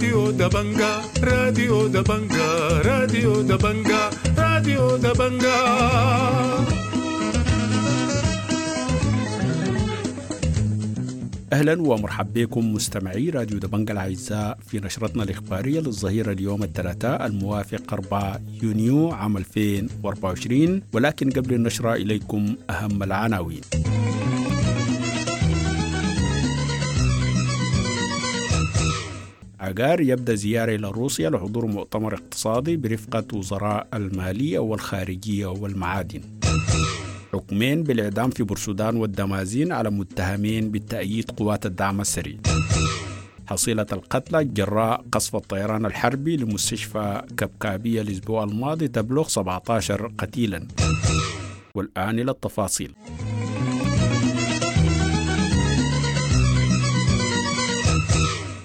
راديو دبنجا، راديو دبنجا، راديو دبنجا، راديو دبنجا. أهلا ومرحبا بكم مستمعي راديو دبنجا الأعزاء في نشرتنا الإخبارية للظهيرة اليوم الثلاثاء الموافق 4 يونيو عام 2024، ولكن قبل النشرة إليكم أهم العناوين. عقار يبدأ زيارة إلى روسيا لحضور مؤتمر اقتصادي برفقة وزراء المالية والخارجية والمعادن. حكمين بالإعدام في بورسودان والدمازين على متهمين بالتأييد قوات الدعم السريع. حصيلة القتلى جراء قصف الطيران الحربي لمستشفى كبكابية الأسبوع الماضي تبلغ 17 قتيلا. والآن إلى التفاصيل.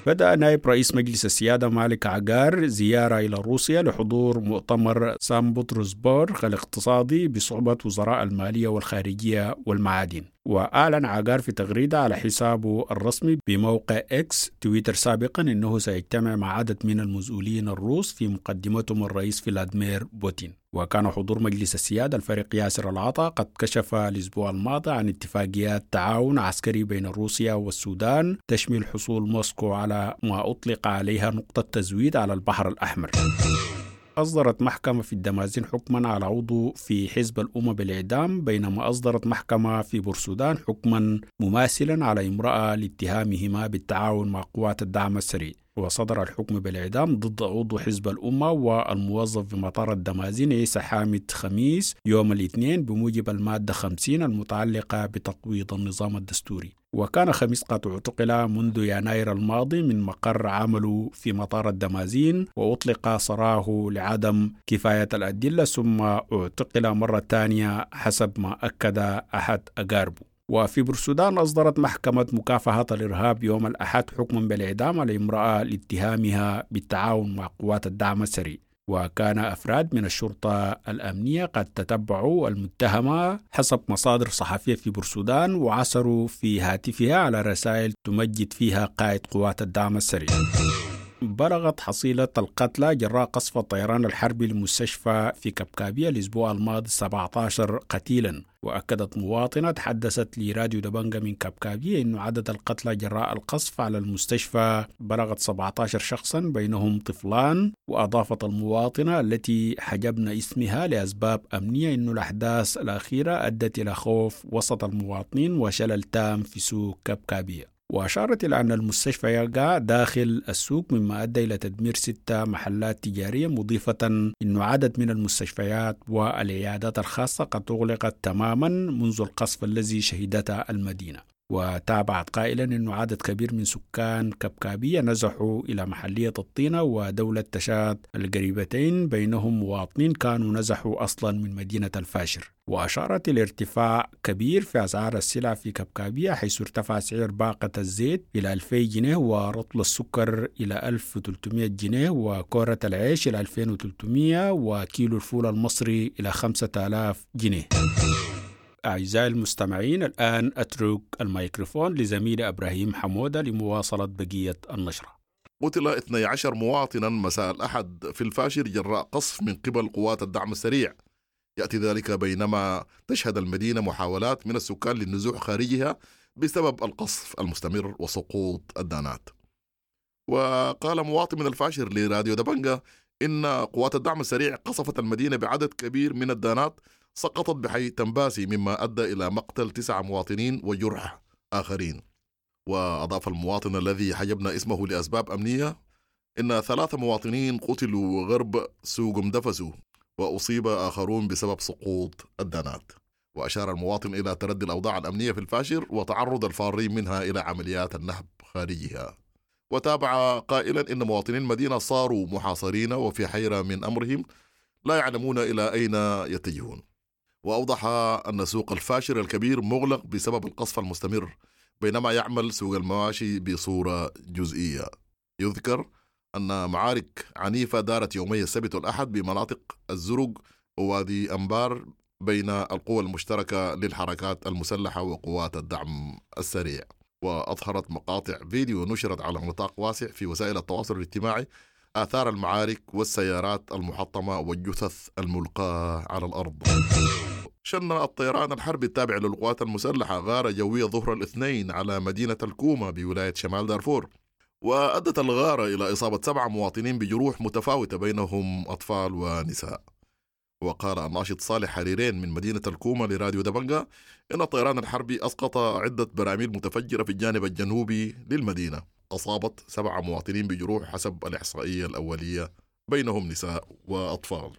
بدأ نائب رئيس مجلس السيادة مالك عقار زيارة إلى روسيا لحضور مؤتمر سان بطرسبورغ الاقتصادي بصحبة وزراء المالية والخارجية والمعادن. وأعلن عقار في تغريدة على حسابه الرسمي بموقع إكس تويتر سابقا أنه سيجتمع مع عدد من المسؤولين الروس في مقدمتهم الرئيس فلاديمير بوتين. وكان حضور مجلس السيادة الفريق ياسر العطا قد كشف الأسبوع الماضي عن اتفاقيات تعاون عسكري بين روسيا والسودان تشمل حصول موسكو على ما أطلق عليها نقطة تزويد على البحر الأحمر. أصدرت محكمة في الدمازين حكما على عضو في حزب الأمة بالإعدام، بينما أصدرت محكمة في بورسودان حكما مماثلا على امرأة لاتهامهما بالتعاون مع قوات الدعم السريع. وصدر الحكم بالإعدام ضد عضو حزب الأمة والموظف بمطار الدمازين عيسى حامد خميس يوم الاثنين بموجب المادة 50 المتعلقة بتقويض النظام الدستوري. وكان خميس قد اعتقل منذ يناير الماضي من مقر عمله في مطار الدمازين وأطلق سراه لعدم كفاية الأدلة، ثم اعتقل مرة ثانية حسب ما أكد أحد أقاربه. وفي بورسودان أصدرت محكمة مكافحة الإرهاب يوم الأحد حكما بالإعدام على امرأة لاتهامها بالتعاون مع قوات الدعم السريع. وكان أفراد من الشرطة الأمنية قد تتبعوا المتهمة حسب مصادر صحفية في بورسودان وعثروا في هاتفها على رسائل تمجد فيها قائد قوات الدعم السريع. بلغت حصيلة القتلى جراء قصف الطيران الحربي للمستشفى في كبكابية الأسبوع الماضي 17 قتيلا. وأكدت مواطنة تحدثت لراديو دبنجا من كبكابية أن عدد القتلى جراء القصف على المستشفى بلغت 17 شخصا بينهم طفلان. وأضافت المواطنة التي حجبنا اسمها لأسباب أمنية أن الأحداث الأخيرة أدت إلى خوف وسط المواطنين وشلل تام في سوق كبكابية. وأشارت إلى أن المستشفى يقع داخل السوق مما أدى إلى تدمير 6 محلات تجارية، مضيفة أن عدد من المستشفيات والعيادات الخاصة قد أغلقت تماما منذ القصف الذي شهدته المدينة. وتابعت قائلا أن عدد كبير من سكان كبكابية نزحوا إلى محلية الطينة ودولة تشاد القريبتين، بينهم مواطنين كانوا نزحوا أصلا من مدينة الفاشر. وأشارت إلى ارتفاع كبير في أسعار السلع في كبكابية، حيث ارتفع سعر باقة الزيت إلى 2000 جنيه، ورطل السكر إلى 1300 جنيه، وكورة العيش إلى 2300، وكيلو الفول المصري إلى 5000 جنيه. أعزائي المستمعين، الآن أترك الميكروفون لزميلي إبراهيم حمودة لمواصلة بقية النشرة. قتل 12 مواطنا مساء الأحد في الفاشر جراء قصف من قبل قوات الدعم السريع. يأتي ذلك بينما تشهد المدينة محاولات من السكان للنزوح خارجها بسبب القصف المستمر وسقوط الدانات. وقال مواطن من الفاشر لراديو دبنجا إن قوات الدعم السريع قصفت المدينة بعدد كبير من الدانات سقطت بحي تنباسي، مما أدى إلى مقتل 9 مواطنين وجرح آخرين. وأضاف المواطن الذي حجبنا اسمه لأسباب أمنية إن 3 مواطنين قتلوا غرب سوق مدفسو وأصيب آخرون بسبب سقوط الدانات. وأشار المواطن إلى تردي الأوضاع الأمنية في الفاشر وتعرض الفارين منها إلى عمليات النهب خارجها. وتابع قائلا إن مواطنين المدينة صاروا محاصرين وفي حيرة من أمرهم، لا يعلمون إلى أين يتجهون. وأوضح أن سوق الفاشر الكبير مغلق بسبب القصف المستمر، بينما يعمل سوق المواشي بصورة جزئية. يذكر أن معارك عنيفة دارت يومي السبت والأحد بمناطق الزرق ووادي أنبار بين القوى المشتركة للحركات المسلحة وقوات الدعم السريع. وأظهرت مقاطع فيديو نشرت على نطاق واسع في وسائل التواصل الاجتماعي آثار المعارك والسيارات المحطمة والجثث الملقاة على الأرض. شن الطيران الحربي التابع للقوات المسلحة غارة جوية ظهر الاثنين على مدينة الكومة بولاية شمال دارفور، وأدت الغارة إلى إصابة 7 مواطنين بجروح متفاوتة بينهم أطفال ونساء. وقال الناشط صالح حريرين من مدينة الكومة لراديو دبنجا إن الطيران الحربي أسقط عدة براميل متفجرة في الجانب الجنوبي للمدينة، أصابت 7 مواطنين بجروح حسب الإحصائية الأولية بينهم نساء وأطفال.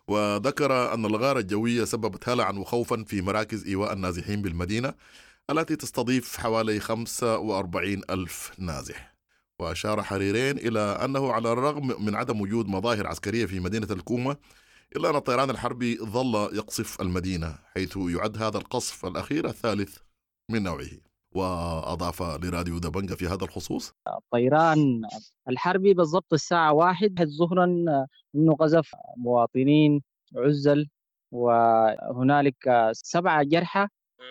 وذكر أن الغارة الجوية سببت هلعا وخوفا في مراكز إيواء النازحين بالمدينة التي تستضيف حوالي 45 ألف نازح. وأشار حريرين إلى أنه على الرغم من عدم وجود مظاهر عسكرية في مدينة الكومة إلا أن الطيران الحربي ظل يقصف المدينة، حيث يعد هذا القصف الأخير الثالث من نوعه. وأضاف لراديو دبنجا في هذا الخصوص: الطيران الحربي بالضبط الساعة 1 ظهرا إنه قذف مواطنين عزل، وهنالك 7 جرحى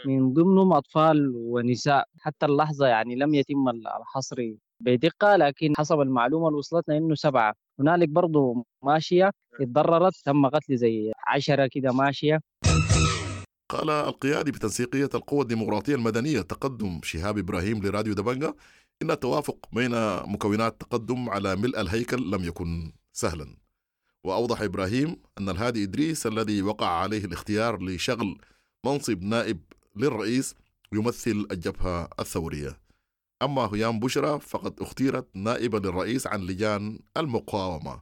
من ضمنهم أطفال ونساء. حتى اللحظة يعني لم يتم الحصر بدقة، لكن حسب المعلومة اللي وصلتنا إنه 7. هنالك برضو ماشية اتضررت، تم قتل زي 10 كده ماشية. قال القيادي بتنسيقية القوى الديمقراطية المدنية تقدم شهاب إبراهيم لراديو دبنجا إن التوافق بين مكونات تقدم على ملء الهيكل لم يكن سهلا. وأوضح إبراهيم أن الهادي إدريس الذي وقع عليه الاختيار لشغل منصب نائب للرئيس يمثل الجبهة الثورية، أما هيام بشرى فقد اختيرت نائبة للرئيس عن لجان المقاومة،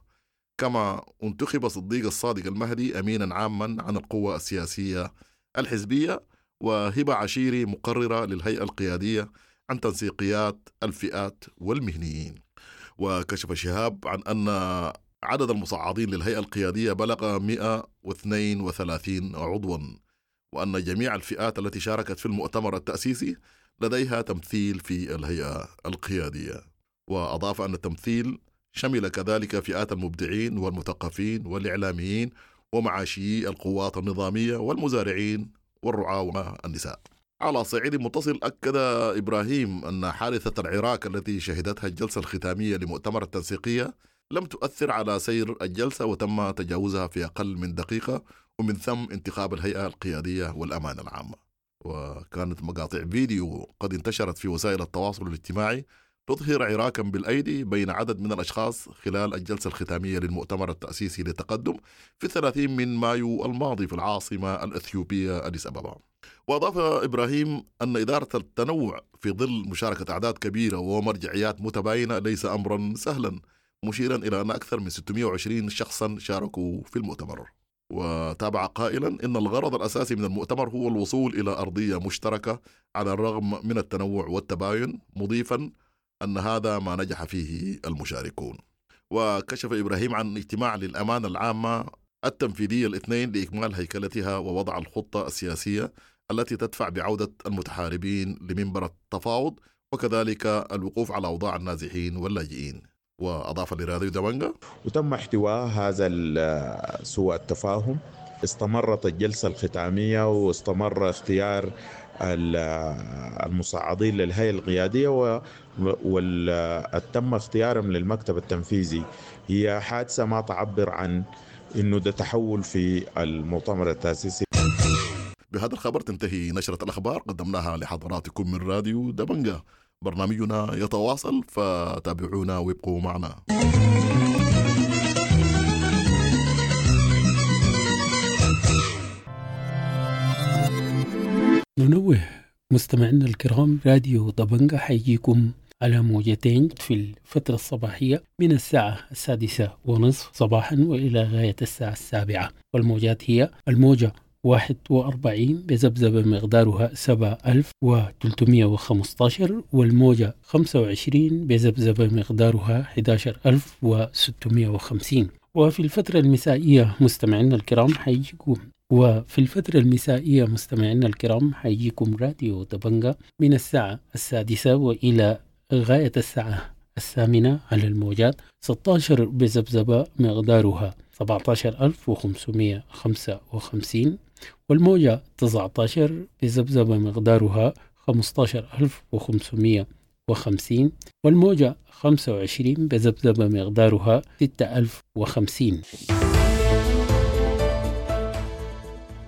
كما انتخب صديق الصادق المهدي أمينا عاما عن القوى السياسية الحزبية، وهبة عشيري مقررة للهيئة القيادية عن تنسيقيات الفئات والمهنيين. وكشف شهاب عن أن عدد المصعدين للهيئة القيادية بلغ 132 عضوا، وأن جميع الفئات التي شاركت في المؤتمر التأسيسي لديها تمثيل في الهيئة القيادية. وأضاف أن التمثيل شمل كذلك فئات المبدعين والمثقفين والإعلاميين ومعاشيي القوات النظامية والمزارعين والرعاة والنساء. على صعيد متصل، أكد إبراهيم أن حادثة العراك التي شهدتها الجلسة الختامية لمؤتمر التنسيقية لم تؤثر على سير الجلسة، وتم تجاوزها في أقل من دقيقة، ومن ثم انتخاب الهيئة القيادية والأمانة العامة. وكانت مقاطع فيديو قد انتشرت في وسائل التواصل الاجتماعي تظهر عراكا بالأيدي بين عدد من الأشخاص خلال الجلسة الختامية للمؤتمر التأسيسي للتقدم في 30 من مايو الماضي في العاصمة الإثيوبية أديس أبابا. وأضاف إبراهيم أن إدارة التنوع في ظل مشاركة أعداد كبيرة ومرجعيات متباينة ليس أمرا سهلا، مشيرا إلى أن أكثر من 620 شخصا شاركوا في المؤتمر. وتابع قائلا إن الغرض الأساسي من المؤتمر هو الوصول إلى أرضية مشتركة على الرغم من التنوع والتباين، مضيفا أن هذا ما نجح فيه المشاركون. وكشف إبراهيم عن اجتماع للأمانة العامة التنفيذية الاثنين لإكمال هيكلتها ووضع الخطة السياسية التي تدفع بعودة المتحاربين لمنبر التفاوض، وكذلك الوقوف على أوضاع النازحين واللاجئين. وأضاف لراديو دبنجا: وتم احتواء هذا سوء التفاهم. استمرت الجلسة الختامية واستمر اختيار المصعدين للهيئة القيادية وتم اختيارهم للمكتب التنفيذي. هي حادثة ما تعبر عن إنه ده تحول في المؤتمر التأسيسي. بهذا الخبر تنتهي نشرة الأخبار قدمناها لحضراتكم من راديو دبنجا. برنامجنا يتواصل، فتابعونا وابقوا معنا. ننوه مستمعينا الكرام، راديو دبنجا حيجيكم على موجتين في الفترة الصباحية من الساعة 6:30 صباحا وإلى غاية الساعة 7، والموجات هي الموجة 41 بذبذبة مقدارها 7315، والموجة 25 بذبذبة مقدارها 11650. وفي الفترة المسائية مستمعينا الكرام حيجيكم حيجيكم راديو دبنجا من الساعة 6 وإلى غاية الساعة 8 على الموجات 16 بذبذبة مقدارها 17555، والموجة 19 بذبذبة مقدارها 15550، والموجة 25 بذبذبة مقدارها 6050.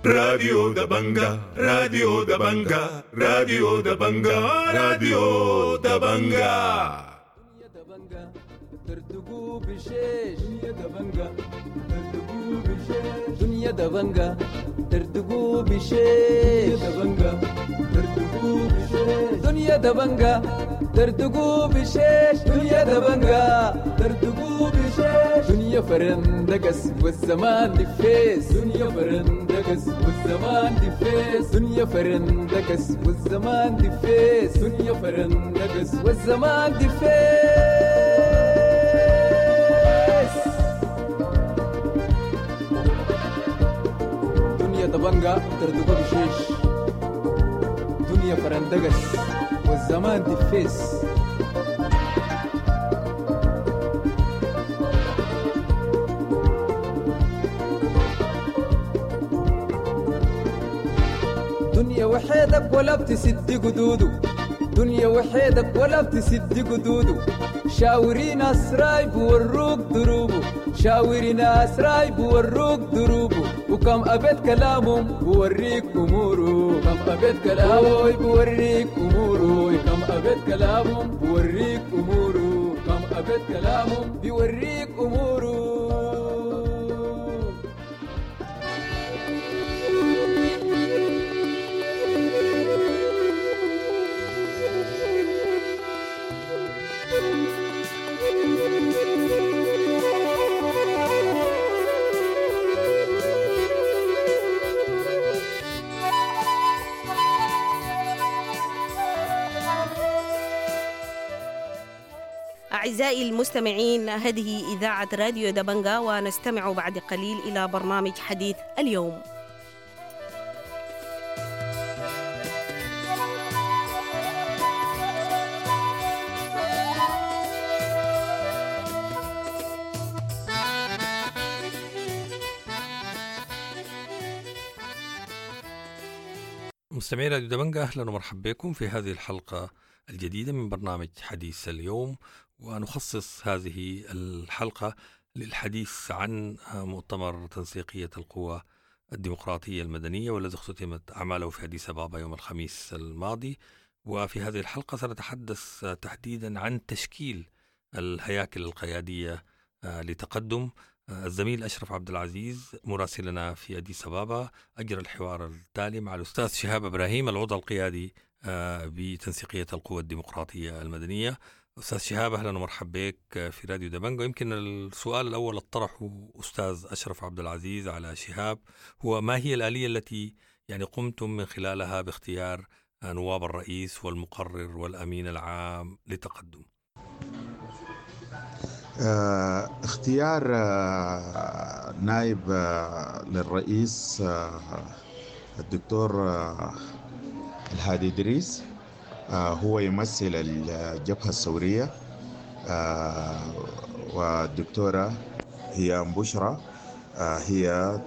راديو دبنجا، راديو دبنجا، راديو دبنجا، راديو دبنجا. دردقوا بشيش دنيا دبنجا، دردقوا بشيش دنيا دبنجا، دردقوا بشيش دبنجا، دردقوا بشيش دنيا دبنجا، دردقوا بشيش دنيا دبنجا، دردقوا بشيش دنيا فرندقس والزمان دفيس، دنيا فرندقس والزمان دفيس، دنيا فرندقس والزمان دفيس، دنيا فرندقس والزمان دفيس. دنيا دبنجا دردقوا بشيش دنيا فرندقس والزمان دفيس. دنيا وحيدك ولا بتسد قدوده، دنيا وحيدك ولا بتسد قدوده، شاوري ناس رايب وروك دروبه، شاوري ناس رايب وروك دروبه، وكم أبيت كلامهم بوريك أموره، كم أبيت كلامه بوريك أموره، كم أبيت كلامهم بوريك أموره، كم أبيت كلامهم بيوريك أموره. أعزائي المستمعين، هذه إذاعة راديو دبنجا، ونستمع بعد قليل إلى برنامج حديث اليوم. مستمعي راديو دبنجا، أهلا ومرحبا بكم في هذه الحلقة الجديدة من برنامج حديث اليوم، ونخصص هذه الحلقة للحديث عن مؤتمر تنسيقية القوى الديمقراطية المدنية والذي اختتمت أعماله في أديس أبابا يوم الخميس الماضي. وفي هذه الحلقة سنتحدث تحديدا عن تشكيل الهياكل القيادية لتقدم. الزميل أشرف عبد العزيز مراسلنا في أديس أبابا أجرى الحوار التالي مع الأستاذ شهاب إبراهيم العضو القيادي بتنسيقية القوى الديمقراطية المدنية. أستاذ شهاب، أهلا ومرحبا بك في راديو دبنجا. يمكن السؤال الأول طرحه أستاذ أشرف عبد العزيز على شهاب هو ما هي الآلية التي يعني قمتم من خلالها باختيار نواب الرئيس والمقرر والأمين العام لتقدم؟ اختيار نائب للرئيس الدكتور الهادي إدريس، هو يمثل الجبهة الثورية، والدكتورة هي بشرى هي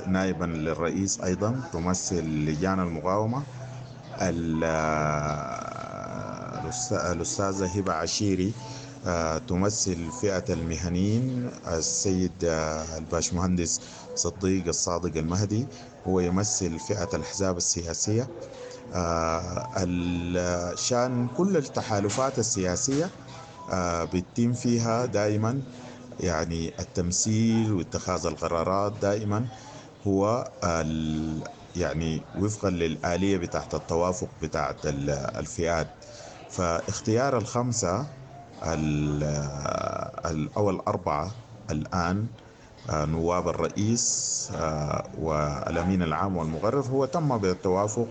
نائبا للرئيس أيضا تمثل لجان المقاومة. الأستاذة هبة عشيري تمثل فئة المهنيين. السيد الباشمهندس صديق الصادق المهدي هو يمثل فئة الأحزاب السياسية. شان كل التحالفات السياسية بيتم فيها دائما يعني التمثيل واتخاذ القرارات دائما هو يعني وفقا للآلية بتاعت التوافق بتاعت الفئات. فاختيار الخمسة أو الأربعة الآن نواب الرئيس والأمين العام والمقرر هو تم بالتوافق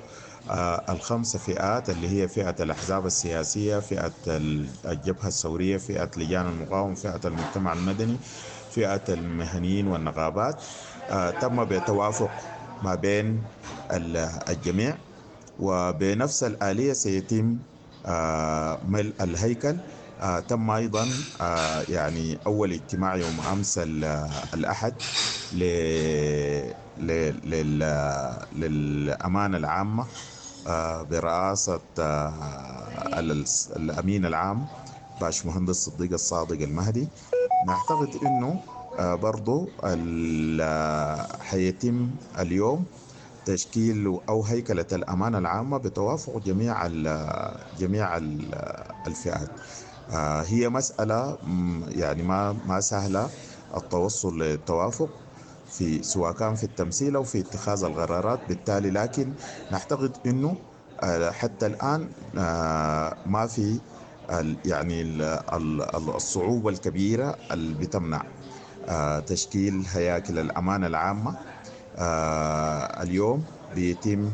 الخمسة فئات اللي هي فئة الأحزاب السياسية، فئة الجبهة الثورية، فئة لجان المقاومة، فئة المجتمع المدني، فئة المهنيين والنقابات. تم بتوافق ما بين الجميع، وبنفس الآلية سيتم ملء الهيكل. تم أيضا يعني أول اجتماع يوم أمس الأحد للأمانة العامة برئاسة الأمين العام باشمهندس صديق الصادق المهدي. نعتقد أنه برضو حيتم اليوم تشكيل أو هيكلة الأمانة العامة بتوافق جميع الفئات. هي مسألة يعني ما سهلة التوصل للتوافق في سواء كان في التمثيل أو في اتخاذ القرارات بالتالي، لكن نعتقد أنه حتى الآن ما في يعني الصعوبة الكبيرة اللي بتمنع تشكيل هياكل الأمانة العامة. اليوم بيتم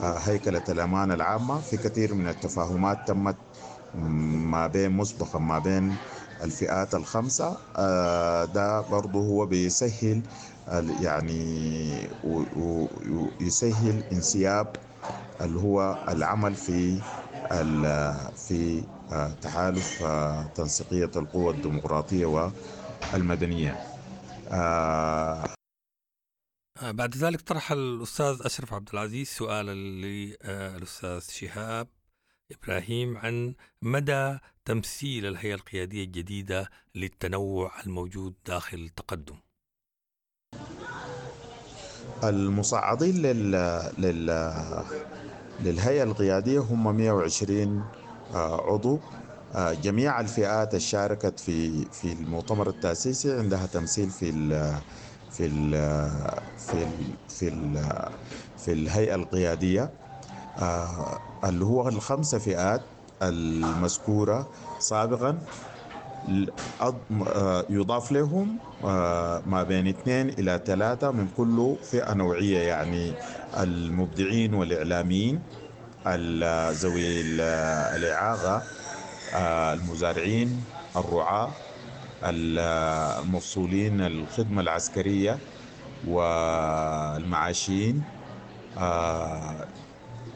هيكلة الأمانة العامة في كثير من التفاهمات تمت ما بين مسبقا ما بين الفئات الخمسة. ده برضه هو بيسهل يعني ويسهل انسياب اللي هو العمل في تحالف تنسيقية القوى الديمقراطية والمدنية. بعد ذلك طرح الأستاذ أشرف عبد العزيز سؤالا للأستاذ شهاب إبراهيم عن مدى تمثيل الهيئة القيادية الجديدة للتنوع الموجود داخل التقدم. المصعدين للهيئة القيادية هم 120 عضو. جميع الفئات الشاركت في المؤتمر التأسيسي عندها تمثيل في ال في ال في ال في ال في الهيئة القيادية، اللي هو الخمسة فئات المذكورة سابقا يضاف لهم ما بين 2 إلى 3 من كل فئة نوعية، يعني المبدعين والإعلاميين، ذوي الإعاقة، المزارعين، الرعاة، المفصولين الخدمة العسكرية والمعاشين،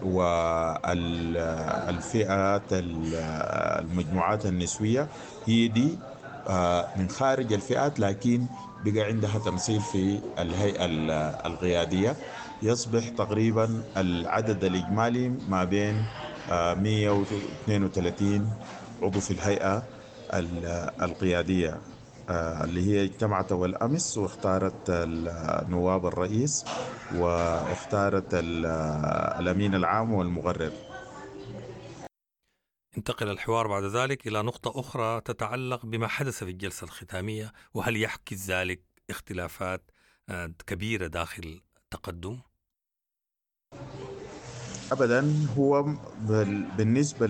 والفئات المجموعات النسوية. هي دي من خارج الفئات لكن بقى عندها تمثيل في الهيئة القيادية. يصبح تقريبا العدد الإجمالي ما بين 132 عضو في الهيئة القيادية اللي هي اجتمعت أول أمس واختارت نواب الرئيس واختارت الأمين العام والمغرر. انتقل الحوار بعد ذلك إلى نقطة أخرى تتعلق بما حدث في الجلسة الختامية، وهل يحكي ذلك اختلافات كبيرة داخل التقدم؟ أبدا، هو بالنسبة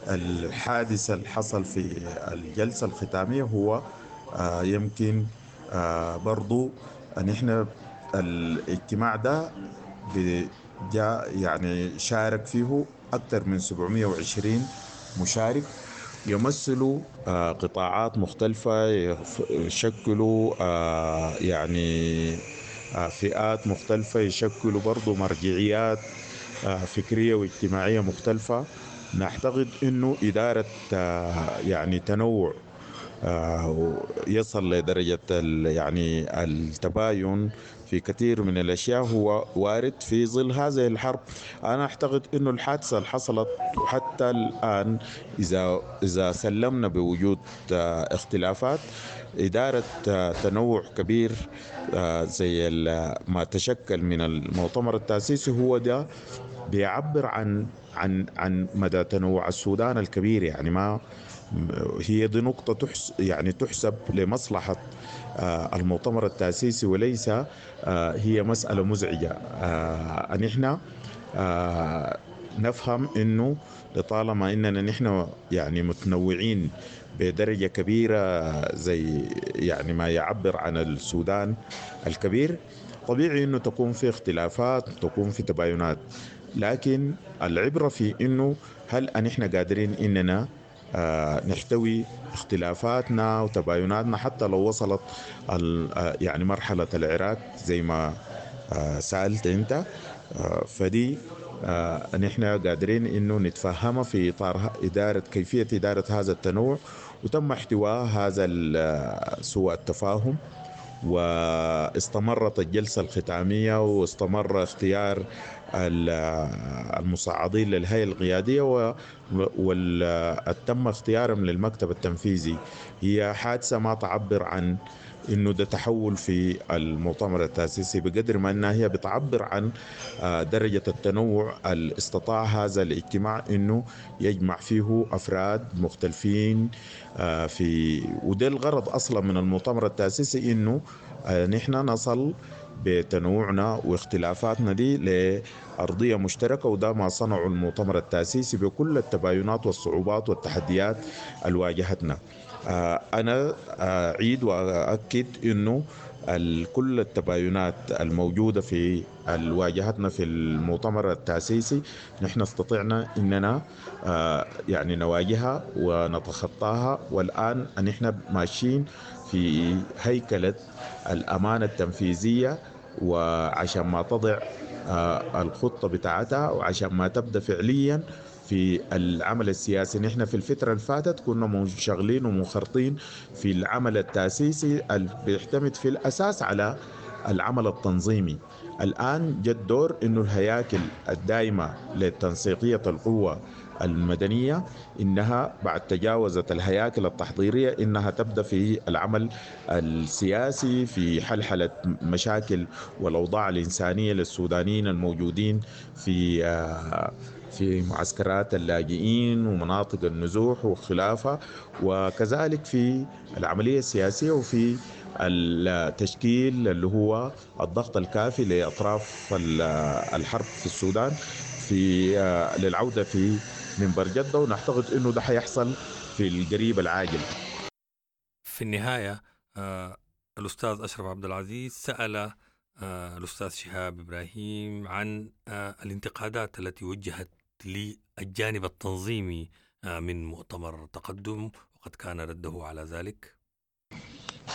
الحادث اللي حصل في الجلسة الختامية هو يمكن برضو أن إحنا الاجتماع ده جاء يعني شارك فيه أكثر من 720 مشارك يمثلوا قطاعات مختلفة، يشكلوا يعني فئات مختلفة، يشكلوا برضو مرجعيات فكرية واجتماعية مختلفة. نعتقد أنه إدارة يعني تنوع يصل لدرجة يعني التباين في كثير من الأشياء هو وارد في ظل هذه الحرب. أنا أعتقد أنه الحادثة اللي حصلت وحتى الآن إذا سلمنا بوجود اختلافات، إدارة تنوع كبير زي ما تشكل من المؤتمر التأسيسي هو ده بيعبر عن عن عن مدى تنوع السودان الكبير. يعني ما هي دي نقطة يعني تحسب لمصلحة المؤتمر التأسيسي وليس هي مسألة مزعجة. نحن نفهم إنه لطالما إننا نحن يعني متنوعين بدرجة كبيرة زي يعني ما يعبر عن السودان الكبير، طبيعي إنه تكون في اختلافات، تكون في تباينات، لكن العبرة في إنه هل نحن قادرين إننا نحتوي اختلافاتنا وتبايناتنا حتى لو وصلت يعني مرحلة العراق زي ما سألت أنت. فدي نحن قادرين إنه نتفهمها في إطار إدارة كيفية إدارة هذا التنوع، وتم احتواء هذا سوء التفاهم واستمرت الجلسة الختامية، واستمر اختيار المصعدين للهيئة القيادية وتم اختيارهم للمكتب التنفيذي. هي حادثة ما تعبر عن إنه ده تحول في المؤتمر التأسيسي بقدر ما أنها هي بتعبر عن درجة التنوع اللي استطاع هذا الاجتماع إنه يجمع فيه أفراد مختلفين في، وده الغرض أصلا من المؤتمر التأسيسي، إنه نحن نصل بتنوعنا واختلافاتنا دي لأرضية مشتركة، وده ما صنعه المؤتمر التأسيسي بكل التباينات والصعوبات والتحديات اللي واجهتنا. أنا أعيد وأؤكد أنه كل التباينات الموجودة في واجهتنا في المؤتمر التأسيسي نحن استطعنا أننا يعني نواجهها ونتخطاها، والآن نحن ماشيين في هيكلة الأمانة التنفيذية، وعشان ما تضع الخطة بتاعتها وعشان ما تبدأ فعليا في العمل السياسي. نحن في الفترة اللي فاتت كنا منشغلين ومنخرطين في العمل التأسيسي اللي بيعتمد في الأساس على العمل التنظيمي. الآن جد دور إنه الهياكل الدائمة لتنسيقية القوة المدنية إنها بعد تجاوزت الهياكل التحضيرية إنها تبدأ في العمل السياسي في حلحلة مشاكل والأوضاع الإنسانية للسودانيين الموجودين في معسكرات اللاجئين ومناطق النزوح وخلافة، وكذلك في العملية السياسية وفي التشكيل اللي هو الضغط الكافي لأطراف الحرب في السودان في للعودة في منبر جدة، ونعتقد أنه ده حيحصل في القريب العاجل. في النهاية الأستاذ أشرف عبد العزيز سأل الأستاذ شهاب إبراهيم عن الانتقادات التي وجهت للجانب التنظيمي من مؤتمر تقدم، وقد كان رده على ذلك.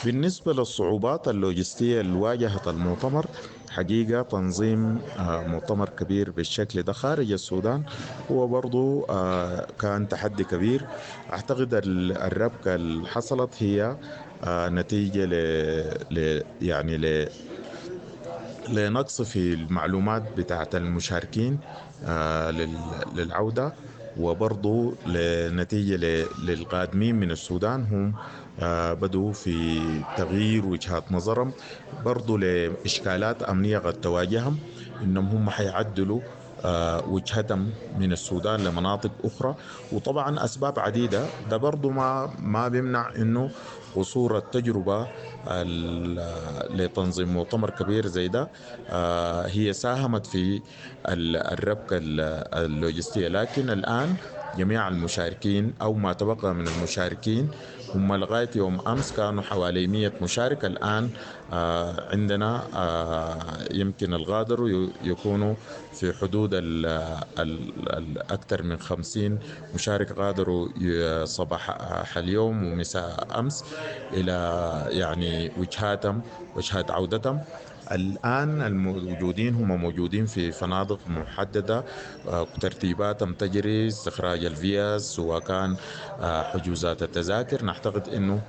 بالنسبة للصعوبات اللوجستية اللي واجهت المؤتمر، حقيقة تنظيم مؤتمر كبير بالشكل ده خارج السودان هو برضو كان تحدي كبير. أعتقد الربكة اللي حصلت هي نتيجة يعني لنقص في المعلومات بتاعت المشاركين للعودة، وبرضو لنتيجة للقادمين من السودان هم بدوا في تغيير وجهات نظرهم، برضو لإشكالات أمنية قد تواجههم إنهم هم حيعدلوا وجهتهم من السودان لمناطق أخرى، وطبعا أسباب عديدة. ده برضو ما بيمنع إنه قصور التجربة لتنظيم مؤتمر كبير زي ده هي ساهمت في الربكة اللوجستية. لكن الآن جميع المشاركين أو ما تبقى من المشاركين هم لغاية يوم أمس كانوا حوالي 100 مشارك، الآن عندنا يمكن الغادروا يكونوا في حدود الأكثر من 50 مشارك غادروا صباح اليوم ومساء أمس إلى يعني وجهاتهم وجهات عودتهم. الآن الموجودين هم موجودين في فنادق محددة، ترتيباتهم تجري، استخراج الفيز سواء كان حجوزات التذاكر. نعتقد أنه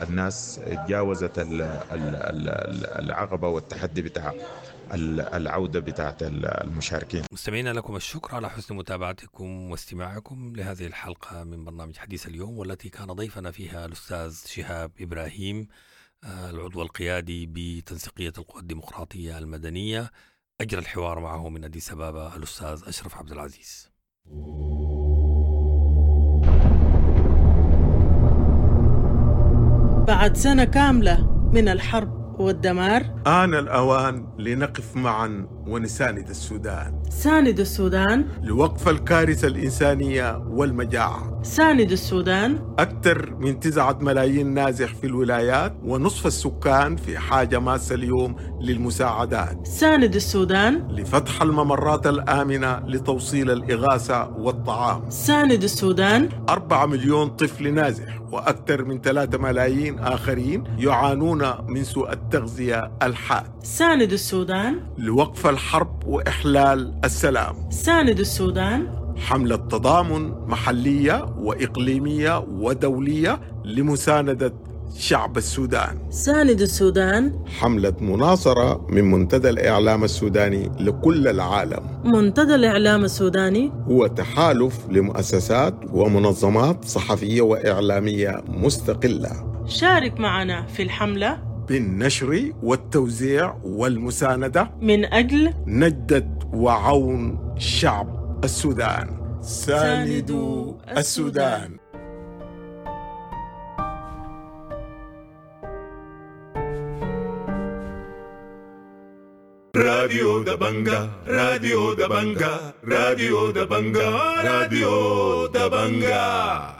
الناس تجاوزت العقبة والتحدي بتاع العودة بتاعت المشاركين. مستمعينا لكم الشكر على حسن متابعتكم واستماعكم لهذه الحلقة من برنامج حديث اليوم، والتي كان ضيفنا فيها الأستاذ شهاب إبراهيم العضو القيادي بتنسيقية القوى الديمقراطية المدنية. أجرى الحوار معه من أديس أبابا الأستاذ أشرف عبد العزيز. بعد سنة كاملة من الحرب والدمار، آن الأوان لنقف معا ونساند السودان. ساند السودان لوقف الكارثة الإنسانية والمجاعة. ساند السودان. أكثر من 9 ملايين نازح في الولايات، ونصف السكان في حاجة ماسة اليوم للمساعدات. ساند السودان لفتح الممرات الآمنة لتوصيل الإغاثة والطعام. ساند السودان. 4 مليون طفل نازح وأكثر من 3 ملايين آخرين يعانون من سوء التغذية الحاد. ساند السودان لوقف الحرب وإحلال السلام. ساند السودان. حملة تضامن محلية وإقليمية ودولية لمساندة شعب السودان. ساند السودان. حملة مناصرة من منتدى الإعلام السوداني لكل العالم. منتدى الإعلام السوداني هو تحالف لمؤسسات ومنظمات صحفية وإعلامية مستقلة. شارك معنا في الحملة بالنشر والتوزيع والمساندة من أجل نجدة وعون شعب السودان. ساندوا السودان. راديو دبنجا، راديو دبنجا، راديو دبنجا، راديو دبنجا.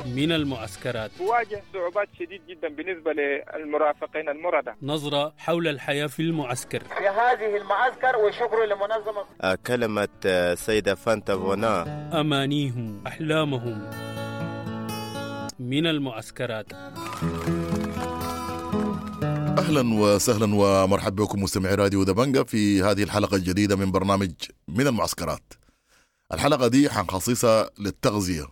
من المعسكرات تواجه صعوبات شديد جدا بالنسبة للمرافقين المرضى. نظرة حول الحياة في المعسكر في هذه المعسكر، وشكر لمنظمة كلمة سيدة فانتا فونا. أمانيهم، أحلامهم من المعسكرات. أهلا وسهلا ومرحبا بكم مستمعي راديو دبنجا في هذه الحلقة الجديدة من برنامج من المعسكرات. الحلقة دي حنخصصها للتغذية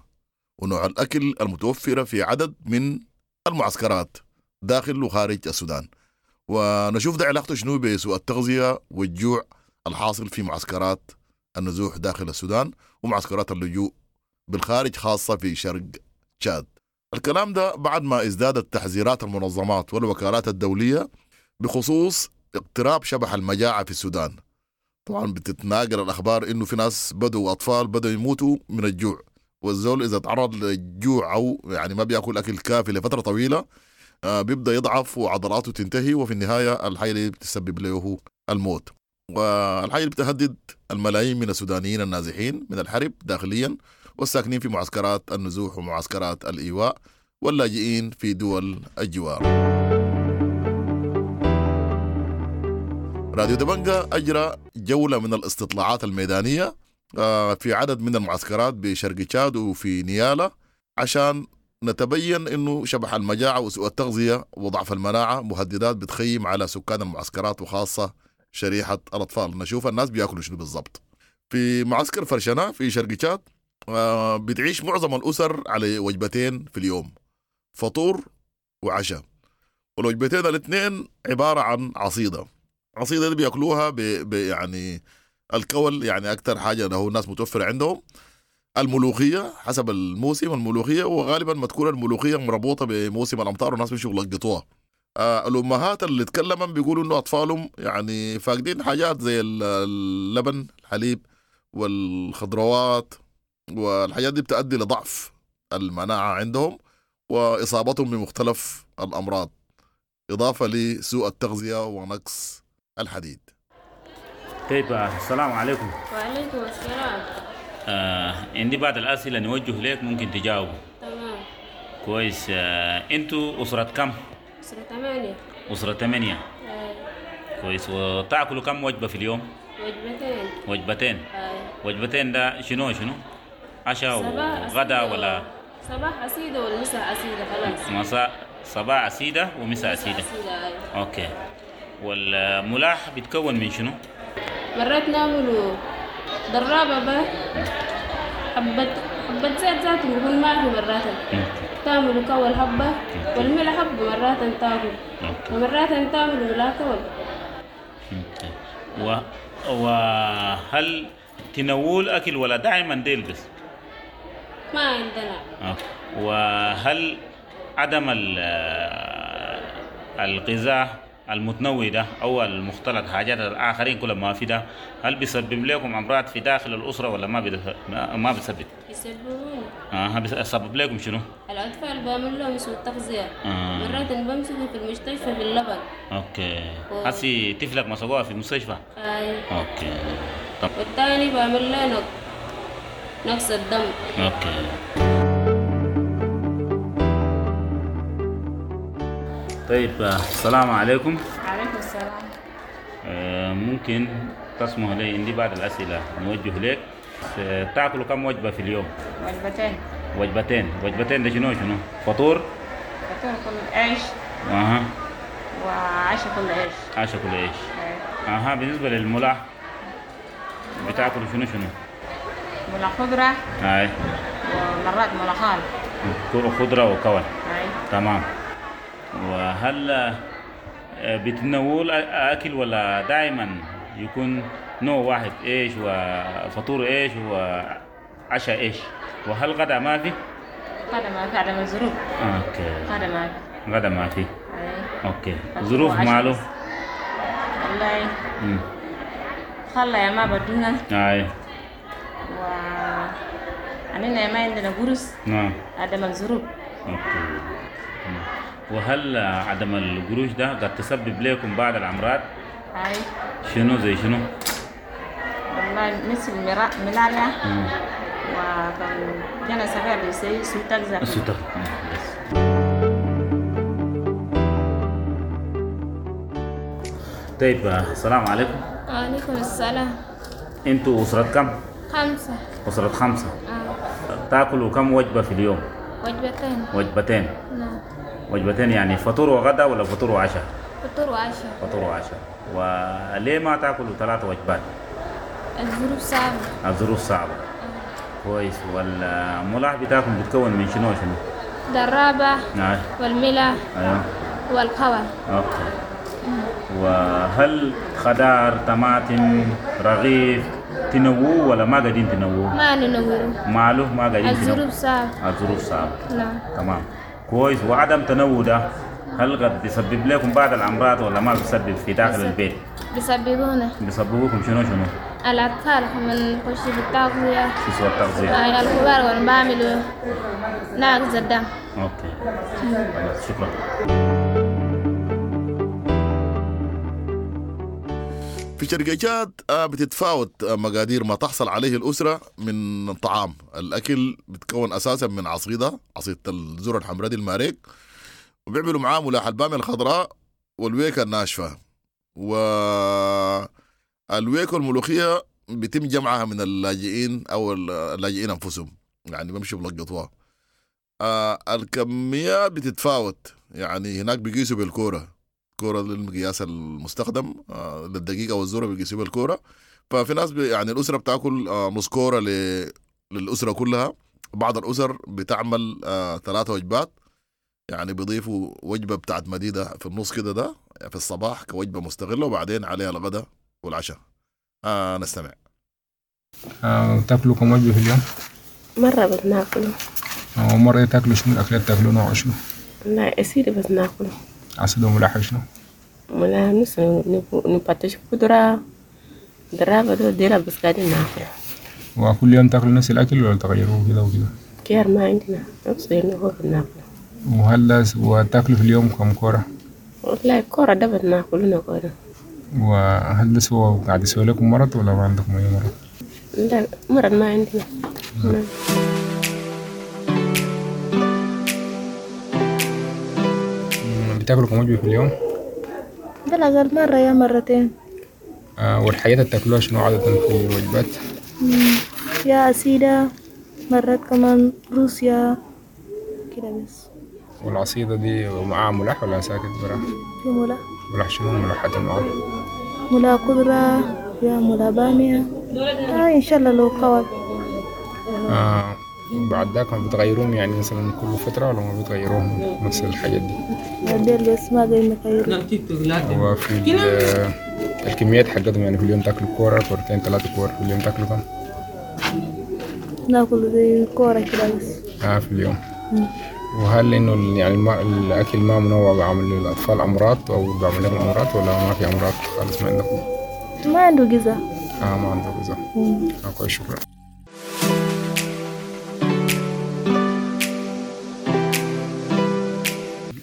ونوع الأكل المتوفرة في عدد من المعسكرات داخل وخارج السودان، ونشوف ده علاقته شنو بسوء التغذية والجوع الحاصل في معسكرات النزوح داخل السودان ومعسكرات اللجوء بالخارج، خاصة في شرق تشاد. الكلام ده بعد ما ازدادت تحذيرات المنظمات والوكالات الدولية بخصوص اقتراب شبح المجاعة في السودان. طبعا بتتناقل الأخبار إنه في ناس بدوا أطفال بدوا يموتوا من الجوع، والزول إذا تعرض للجوع أو يعني ما بيأكل أكل كافي لفترة طويلة بيبدأ يضعف وعضلاته تنتهي، وفي النهاية الحاجة اللي بتسبب له الموت. والحاجة اللي بتهدد الملايين من السودانيين النازحين من الحرب داخليا والساكنين في معسكرات النزوح ومعسكرات الإيواء واللاجئين في دول الجوار. راديو دبنجا أجرى جولة من الاستطلاعات الميدانية في عدد من المعسكرات بشرق تشاد وفي نيالا، عشان نتبين انه شبح المجاعة وسوء التغذية وضعف المناعة مهددات بتخيم على سكان المعسكرات وخاصة شريحة الأطفال. نشوف الناس بياكلوا شنو بالضبط. في معسكر فرشنة في شرق تشاد بتعيش معظم الأسر على وجبتين في اليوم، فطور وعشاء، والوجبتين الاثنين عبارة عن عصيدة. عصيدة دي بياكلوها يعني الكول، يعني أكثر حاجة له الناس متوفرة عندهم الملوخية حسب الموسم، الملوخية، وغالبا ما تكون الملوخية مربوطة بموسم الأمطار والناس بيمشوا يلقطوها. الأمهات اللي تكلمن بيقولوا إنه أطفالهم يعني فاقدين حاجات زي اللبن، الحليب، والخضروات، والحاجات دي بتؤدي لضعف المناعة عندهم وإصابتهم بمختلف الأمراض، إضافة لسوء التغذية ونقص الحديد. طيب، السلام عليكم. وعليكم السلام. عندي بعض الأسئلة نوجه لك، ممكن تجاوبوا. تمام. كويس. انتوا أسرة كم؟ أسرة 8. أسرة 8. كويس. وتأكلوا كم وجبة في اليوم؟ وجبتين. وجبتين. وجبتين ده شنو شنو؟ عشاء وغدا ولا؟ صباح عصيدة والمساء عصيدة خلاص. مساء، صباح عصيدة ومساء عصيدة. okay. والملاح بيتكون من شنو؟ مرات نعملوا ضرابة بقى، حبة حبة زيت ذاته بيكون ما في، مرات تعملوا كول حبة والملح حبة، مرات تاكل ومرات تعملوا ملا كول. وهل تنول أكل ولا دائما ديل بس؟ ما عندنا. وهل عدم الغذاء المتنوع ده أو المختلط حاجات الآخرين كل ما في ده، هل بيسبب لكم أمراض في داخل الأسرة ولا ما بيسبب؟ يسببون. بيسبب لكم شنو؟ الأطفال بعمل لهم سوء تغذية. مرات بمسكوا في المستشفى باللبن. okay. هسي طفلك مسكوها في المستشفى؟ أي. okay. طب. والثاني بعمل له نقص الدم. okay. طيب، السلام عليكم. عليكم السلام. ممكن تسمح لي عندي بعض الأسئلة نوجه لك. تأكلوا كم وجبة في اليوم؟ وجبتين. وجبتين. وجبتين ده شنو شنو؟ فطور؟ فطور كل عيش. وعشاء كل عيش. عشاء كل عيش. بالنسبة للملاح بتاكلوا شنو شنو؟ ملاح خضرة. أي. ومرات ملاحان. خضرة وكول. أي. تمام. وهل بتنول أكل ولا دائما يكون نوع واحد، إيش وفطور إيش وعشاء إيش؟ وهل غدا ما في؟ غدا ما في، عدم الظروف. okay. غدا ما في. غدا ما في. okay. ظروف ماله؟ والله خلا يا ما بدونا. أي. و أننا ما عندنا قرص. نعم. عدم الظروف. okay. وهل عدم القروش ده قد تسبب لكم بعض الأمراض؟ أي. شنو زي شنو؟ والله مثل ملاريا. وكان جانا صغير بيسوي سوء تغذية. سوء تغذية. طيب، السلام عليكم. وعليكم السلام. انتوا أسرة كم؟ 5. أسرة 5. تاكلوا كم وجبة في اليوم؟ وجبتين. وجبتين. نعم. وجبتين يعني فطور وغدا ولا فطور وعشاء؟ فطور وعشاء. فطور وعشاء. وليه ما تاكلوا 3 وجبات؟ الظروف صعبة. الظروف صعبة. كويس. والملاح بتاعكم بتكون من شنو شنو؟ درابة. والملح. أيوه. والقوى. okay. وهل خضار، طماطم، رغيف تنووه ولا ما قاعدين تنووه؟ ما ننوه. ماله ما قاعدين تنووه؟ الظروف صعبة. الظروف صعبة. نعم. تمام. كويس. وعدم تنوع ده هل قد بيسبب لكم بعض الأمراض ولا ما بيسبب في داخل البيت؟ بيسببونا. بيسببوكم شنو شنو؟ الأطفال هم نخش في التغذية. في سوء التغذية. الكبار وأنا بعملوا ناقص الدم. okay. خلاص، شكرا. في شرق تشاد بتتفاوت مقادير ما تحصل عليه الأسرة من طعام. الأكل بتكون أساسا من عصيدة، عصيدة الذرة الحمراء دي الماريك، وبيعملوا معاه ملاح البامية الخضراء والويكة الناشفة. و الويك والملوخية بيتم جمعها من اللاجئين أو اللاجئين أنفسهم، يعني بيمشوا بلقطوها. الكميات بتتفاوت، يعني هناك بيقيسوا بالكورة، كورة للمقياس المستخدم للدقيقة والذرة بيقيسوا بالكورة. ففي ناس يعني الأسرة بتاكل نص كورة للأسرة كلها. بعض الأسر بتعمل 3 وجبات، يعني بيضيفوا وجبة بتاعت مديدة في النص كده، ده في الصباح كوجبة مستغلة، وبعدين عليها الغداء والعشاء. نستمع. تاكلوا كم وجبة في اليوم؟ مرة بس ناكله. ومرة تاكلوا شنو؟ الأكلات تاكلوا نوع شنو؟ لا أسيري بس ناكله. عسل وملاحة شنو؟ ملاحة نص نبطش قدرة درابة دو ديرة بس قاعدين ناكله. وكل يوم تاكلوا نفس الأكل ولا تغيروه كده وكده؟ كير ما عندنا، نفس اللي هو بناكله. وهل وتاكلوا في اليوم كم كورة؟ والله كورة ده بناكلنا كورة. وهل ده سوى قاعد يسوي لكم مرض ولا ما عندكم أي مرض؟ لا مرض ما عندنا. بتاكلوا كم وجبة في اليوم؟ بالأقل مرة يا مرتين. والحاجات اللي تاكلوها شنو عادة في الوجبات؟ يا أسيدة، مرات كمان روسيا كده بس. والعصيدة دي معاها ملاح ولا ساكت برا؟ في ملاح. ملاح شنو ملاحات معاها؟ ملاح قدرة يا ملاح بامية. إن شاء الله لو قوت. بعد ذاك ما بتغيروهم يعني مثلا كل فترة ولا ما بتغيروهم نفس الحاجات دي؟ ديل بس ما قاعدين نغيرهم. وفي الكميات حقتهم يعني في اليوم تاكلوا كورة، كورتين، 3 كور في اليوم تاكلوا كم؟ ناكل زي كورة كده بس. في اليوم. وهل إنه يعني الأكل ما منوع بيعمل للأطفال أمراض أو بيعمل لهم أمراض ولا ما في أمراض خالص ما عندكم؟ ما عنده غذاء. ما عنده غذاء. كويس، شكرا.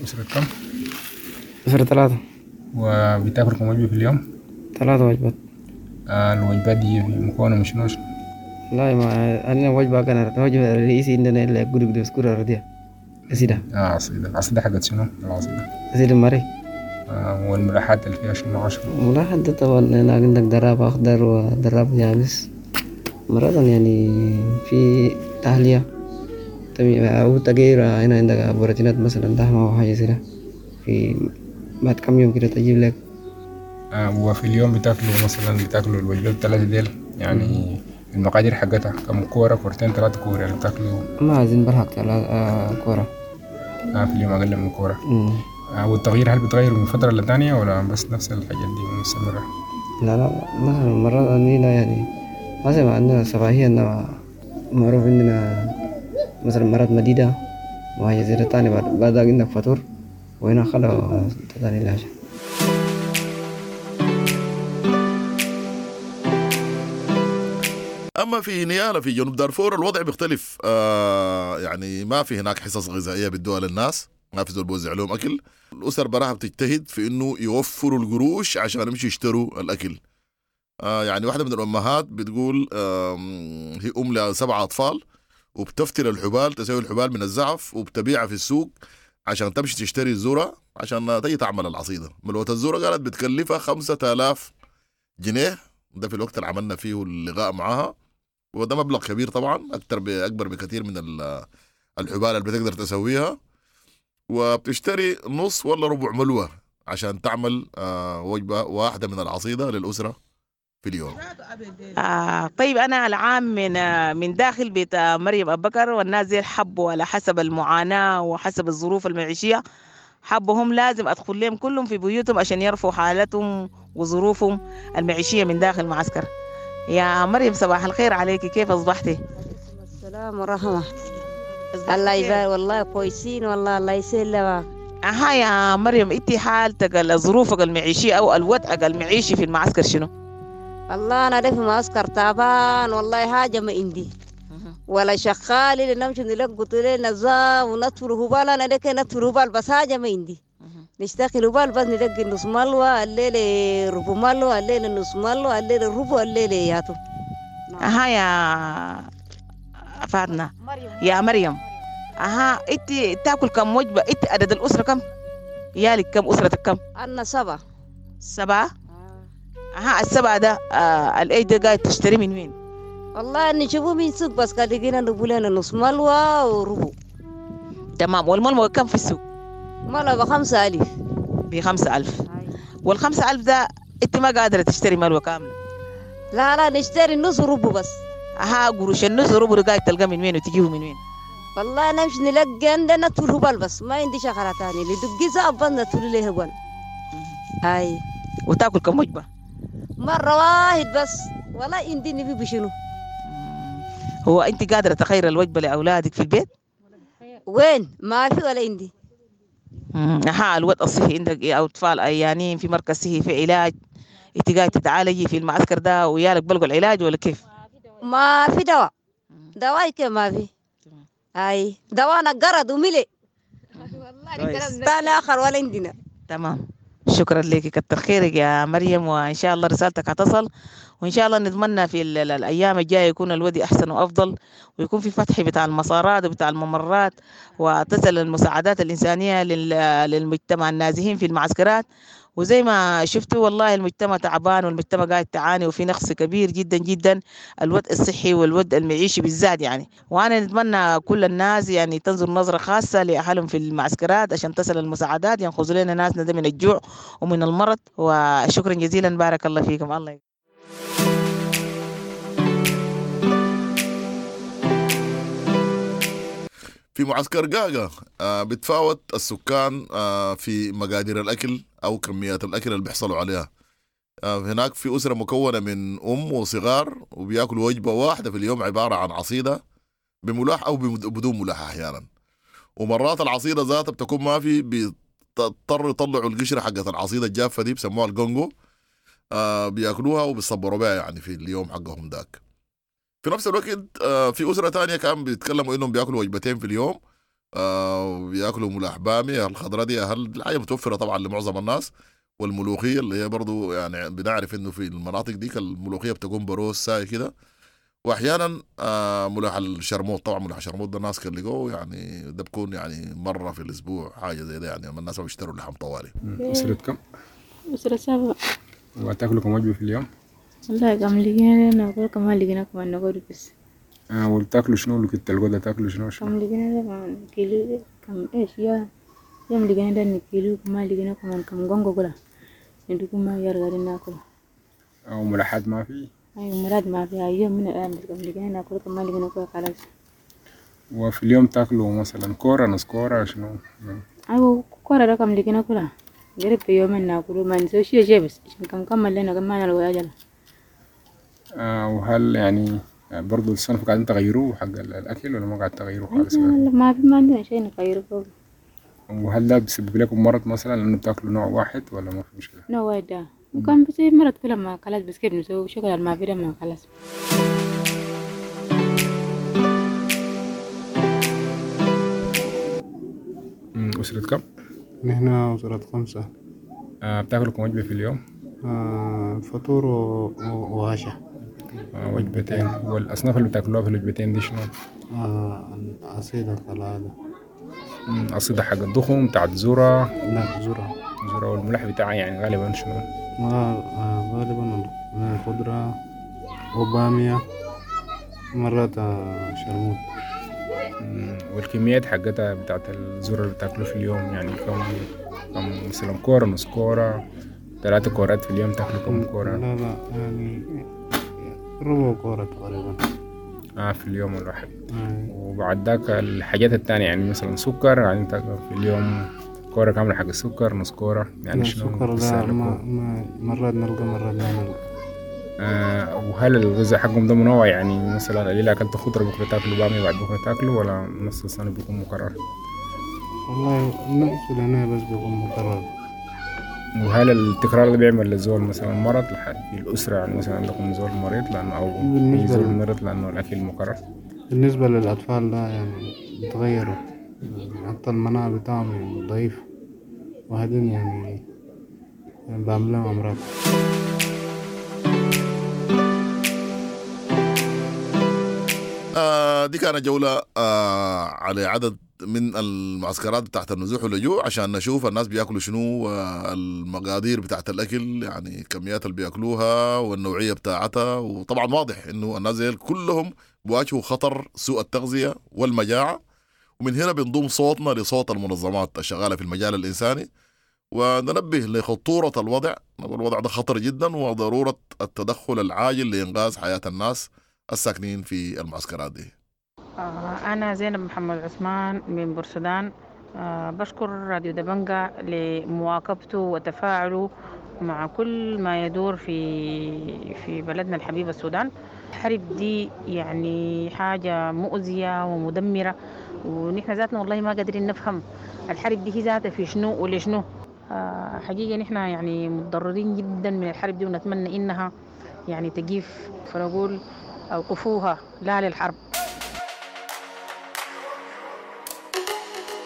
أسرة كم؟ أسرة 3. وبتاكل كم وجبة في اليوم؟ 3 وجبات. الوجبات دي مكونة من شنو؟ لا ما عندنا وجبة كان الوجبة الرئيسية عندنا إلا قدر سكر أرضية. عصيدة. عصيدة. عصيدة حقت شنو؟ العصيدة. عصيدة مري. والملاحات اللي فيها شنو عشرة؟ ملاحات ده طبعا هنا عندك دراب أخضر ودراب يابس. مرات يعني في تحلية أو تغيير، هنا عندك بروتينات مثلا لحمة أو حاجة زي ده، في بعد كم يوم كده تجيب لك. وفي اليوم بتاكلوا مثلا بتاكلوا الوجبات الثلاثة ديل يعني المقادير حقتها كم كورة؟ كورتين، 3 كورة يعني بتاكلوا؟ ما عايزين بلحق 3 كورة. في اليوم أقل من كورة. والتغيير هل بتغيروا من فترة لتانية ولا بس نفس الحاجات دي مستمرة؟ لا لا مثلا مرات عندنا يعني مثلا عندنا صباحية معروف عندنا مثلا مرات مديدة وهي زي تاني بعد عندك فطور وهنا خلا تاني العشاء. أما في نيالا في جنوب دارفور الوضع بيختلف. يعني ما في هناك حصص غذائية بيدوها للناس، ما في زول بوزع لهم أكل. الأسر براها بتجتهد في إنه يوفروا القروش عشان يمشوا يشتروا الأكل. يعني واحدة من الأمهات بتقول هي أم ل7 أطفال وبتفتل الحبال، تسوي الحبال من الزعف وبتبيعها في السوق عشان تمشي تشتري الذرة عشان تيجي تعمل العصيدة. ملوة الذرة قالت بتكلفها 5000 جنيه، ده في الوقت اللي عملنا فيه اللقاء معاها، وده مبلغ كبير طبعا، أكبر بكثير من الحبال اللي بتقدر تسويها. وبتشتري نص ولا ربع ملوة عشان تعمل وجبة واحدة من العصيدة للأسرة في اليوم. طيب أنا العام من داخل بيت مريم أبو بكر، والناس زي حبوا على حسب المعاناة وحسب الظروف المعيشية، حبهم لازم أدخل لهم كلهم في بيوتهم عشان يرفعوا حالتهم وظروفهم المعيشية من داخل المعسكر. يا مريم صباح الخير عليك، كيف أصبحتي؟ السلام ورحمة الله يبارك. والله كويسين والله، الله يسلمك. أها يا مريم، انت حالتك ظروفك المعيشية أو الوضع المعيشي في المعسكر شنو؟ والله أنا في معسكر تعبان والله، حاجة ما عندي ولا شغال اللي نمشي نلقط لنا نظام ونطفر هبال. أنا لك نطفر هبال بس حاجة ما عندي، نشتغل هبال بس نلقي نص ملوى الليلة ربع ملوى الليلة نص ملوى الليلة ربع الليلة ياتو. أها يا فاطمة يا مريم، أها أنت تاكل كم وجبة؟ أنت عدد الأسرة كم؟ يالك كم؟ أسرتك كم؟ أنا 7. 7؟ أها السبعة ده العيش ده قاعد تشتري من وين؟ والله نشوفه من سوق بس قال لقينا نبو لنا نص ملوى وربو. تمام. والملوى كم في السوق؟ ملوى ب5,000. ب5,000. وال5,000 ده انت ما قادرة تشتري ملوى كاملة؟ لا لا، نشتري نص ربو بس. أها قروش النص ربو قاعد تلقى من وين وتجيبه من وين؟ والله نمشي نلقى عندنا طول هبل بس، ما عندي شغلة تانية، اللي دقي زاب نطول له هبل. هاي. وتاكل كم وجبة؟ مرة واحد بس، ولا عندي نبي بشنو. هو أنت قادرة تخير الوجبة لأولادك في البيت؟ وين؟ ما في ولا عندي. أها الوضع الصحي عندك إيه؟ أو أطفال عيانين في مركز صحي في علاج، أنت قاعدة تتعالجي في المعسكر ده ويالك بلقوا العلاج ولا كيف؟ ما في دواء، دواء كيف ما في. هاي دوانا قرض وملي تاني آخر ولا عندنا. تمام، شكرا لك، كتر خيرك يا مريم، وإن شاء الله رسالتك هتصل، وإن شاء الله نتمنى في الأيام الجاية يكون الوضع أحسن وأفضل، ويكون في فتح بتاع المسارات وبتاع الممرات، وتصل المساعدات الإنسانية للمجتمع النازحين في المعسكرات. وزي ما شفتوا والله المجتمع تعبان، والمجتمع قاعد تعاني، وفي نقص كبير جدا جدا، الوضع الصحي والوضع المعيشي بالذات يعني. وانا نتمنى كل الناس يعني تنظر نظرة خاصة لأهلهم في المعسكرات عشان تصل المساعدات، ينقذوا لنا ناسنا ده من الجوع ومن المرض. وشكرا جزيلا، بارك الله فيكم. الله. في معسكر قاقا بتفاوت السكان في مقادير الأكل أو كميات الأكل اللي بيحصلوا عليها. هناك في أسرة مكونة من أم وصغار وبياكلوا وجبة واحدة في اليوم عبارة عن عصيدة بملاح أو بدون ملاح أحيانا، ومرات العصيدة ذاتها بتكون ما في، بيضطروا يطلعوا القشرة حقت العصيدة الجافة دي بسموها الجونجو، بياكلوها وبيصبروا بها يعني في اليوم حقهم داك. في نفس الوقت في أسرة تانية كان بيتكلموا إنهم بياكلوا وجبتين في اليوم، بياكلوا ملاح بامية الخضراء دي، هل الحاجة متوفرة طبعا لمعظم الناس، والملوخية اللي هي برضو يعني بنعرف إنه في المناطق ديك الملوخية بتكون بروز ساي كده، وأحيانا ملاح الشرموط. طبعا ملاح الشرموط ده الناس كان لقوه يعني ده بكون يعني مرة في الأسبوع حاجة زي ده يعني، الناس ما بيشتروا لحم طوالي. أسرة كم؟ أسرة 7. وتاكلوا كم وجبة في اليوم؟ والله كم لقينا ناكل، كم لقينا كمان ناكل بس. وبتاكلوا شنو؟ اللي كنت تلقوا ده تاكلوا شنو؟ كم لقينا ده كمان كيلو كم إيش يا يوم لقينا ده كيلو كم لقينا كمان كم جونجو كلا ندوكم ما يرجع ناكل. أو ملاحات ما في؟ أيوة ملاحات ما في، أيوة من الآن بس كم لقينا ناكل كم لقينا كل خلاص. وفي اليوم تاكلوا مثلا كورة نص كورة شنو؟ أيوة كورة ده كم لقينا كلها قريب في يومين ناكلوا ما نسوي شيء بس عشان كم كم لنا كم ما نلقى أجل. وهل يعني برضو الصنف قاعدين تغيروه حق الأكل ولا ما قاعد تغيروه خالص؟ لا ما في، ما عندنا شيء نغيره فوق. وهل ده بيسبب لكم مرض مثلا لأنه بتاكلوا نوع واحد ولا ما في مشكلة؟ نوع واحد ده وكان بيصير مرض كل ما خلاص، بس كيف نسوي شغل ما في ده ما خلاص. أسرة كم؟ نحن أسرة 5. بتاكلوا كم وجبة في اليوم؟ فطور وعشاء. وجبتين. والأصناف اللي بتاكلوها في الوجبتين دي شنو؟ عصيدة كالعادة. عصيدة حق الضخم بتاعت ذرة؟ لا ذرة. ذرة. والملح بتاعها يعني غالبا شنو؟ غالبا خضرة وبامية، مرات شرموط. والكميات حقتها بتاعت الذرة اللي بتاكلوه في اليوم يعني كم مثلا كورة نص كورة 3 كورات في اليوم تاكلوا كم كورة؟ لا لا يعني ربع كورة تقريبا في اليوم الواحد. وبعد ذاك الحاجات التانية يعني مثلا سكر، يعني تاكل في اليوم كورة كاملة حق السكر، نص كورة يعني شنو؟ السكر لا ما مرات نلقى مرات ما نلقى. وهل الغذاء حقهم ده منوع يعني مثلا الليلة أكلت خضرة بكرة تاكلوا بامية بعد بكرة تاكلوا ولا نص السنة بيكون مكرر؟ والله نفس العناية بس بيكون مكرر. وهل التكرار ده بيعمل للزول مثلا مرض في الأسرة يعني مثلا عندكم زول مريض لأنه أو زول مريض لأنه الأكل مكرر؟ بالنسبة للأطفال لا يعني بيتغيروا، حتى المناعة بتاعهم يعني ضعيف، وبعدين يعني بعملهم أمراض. دي كانت جولة على عدد من المعسكرات بتاعت النزوح واللجوء عشان نشوف الناس بياكلوا شنو، والمقادير بتاعت الأكل يعني الكميات اللي بياكلوها والنوعية بتاعتها. وطبعا واضح إنه الناس ديل كلهم بيواجهوا خطر سوء التغذية والمجاعة. ومن هنا بنضم صوتنا لصوت المنظمات الشغالة في المجال الإنساني وننبه لخطورة الوضع. الوضع ده خطر جدا، وضرورة التدخل العاجل لإنقاذ حياة الناس الساكنين في المعسكرات دي. أنا زينب محمد عثمان من بورسودان. بشكر راديو دبنجا لمواكبته وتفاعله مع كل ما يدور في بلدنا الحبيب السودان. الحرب دي يعني حاجة مؤذية ومدمرة، ونحن ذاتنا والله ما قادرين نفهم الحرب دي هي ذاتها في شنو ولشنو. حقيقة نحن يعني متضررين جدا من الحرب دي، ونتمنى إنها يعني تقيف، فنقول أوقفوها، لا للحرب.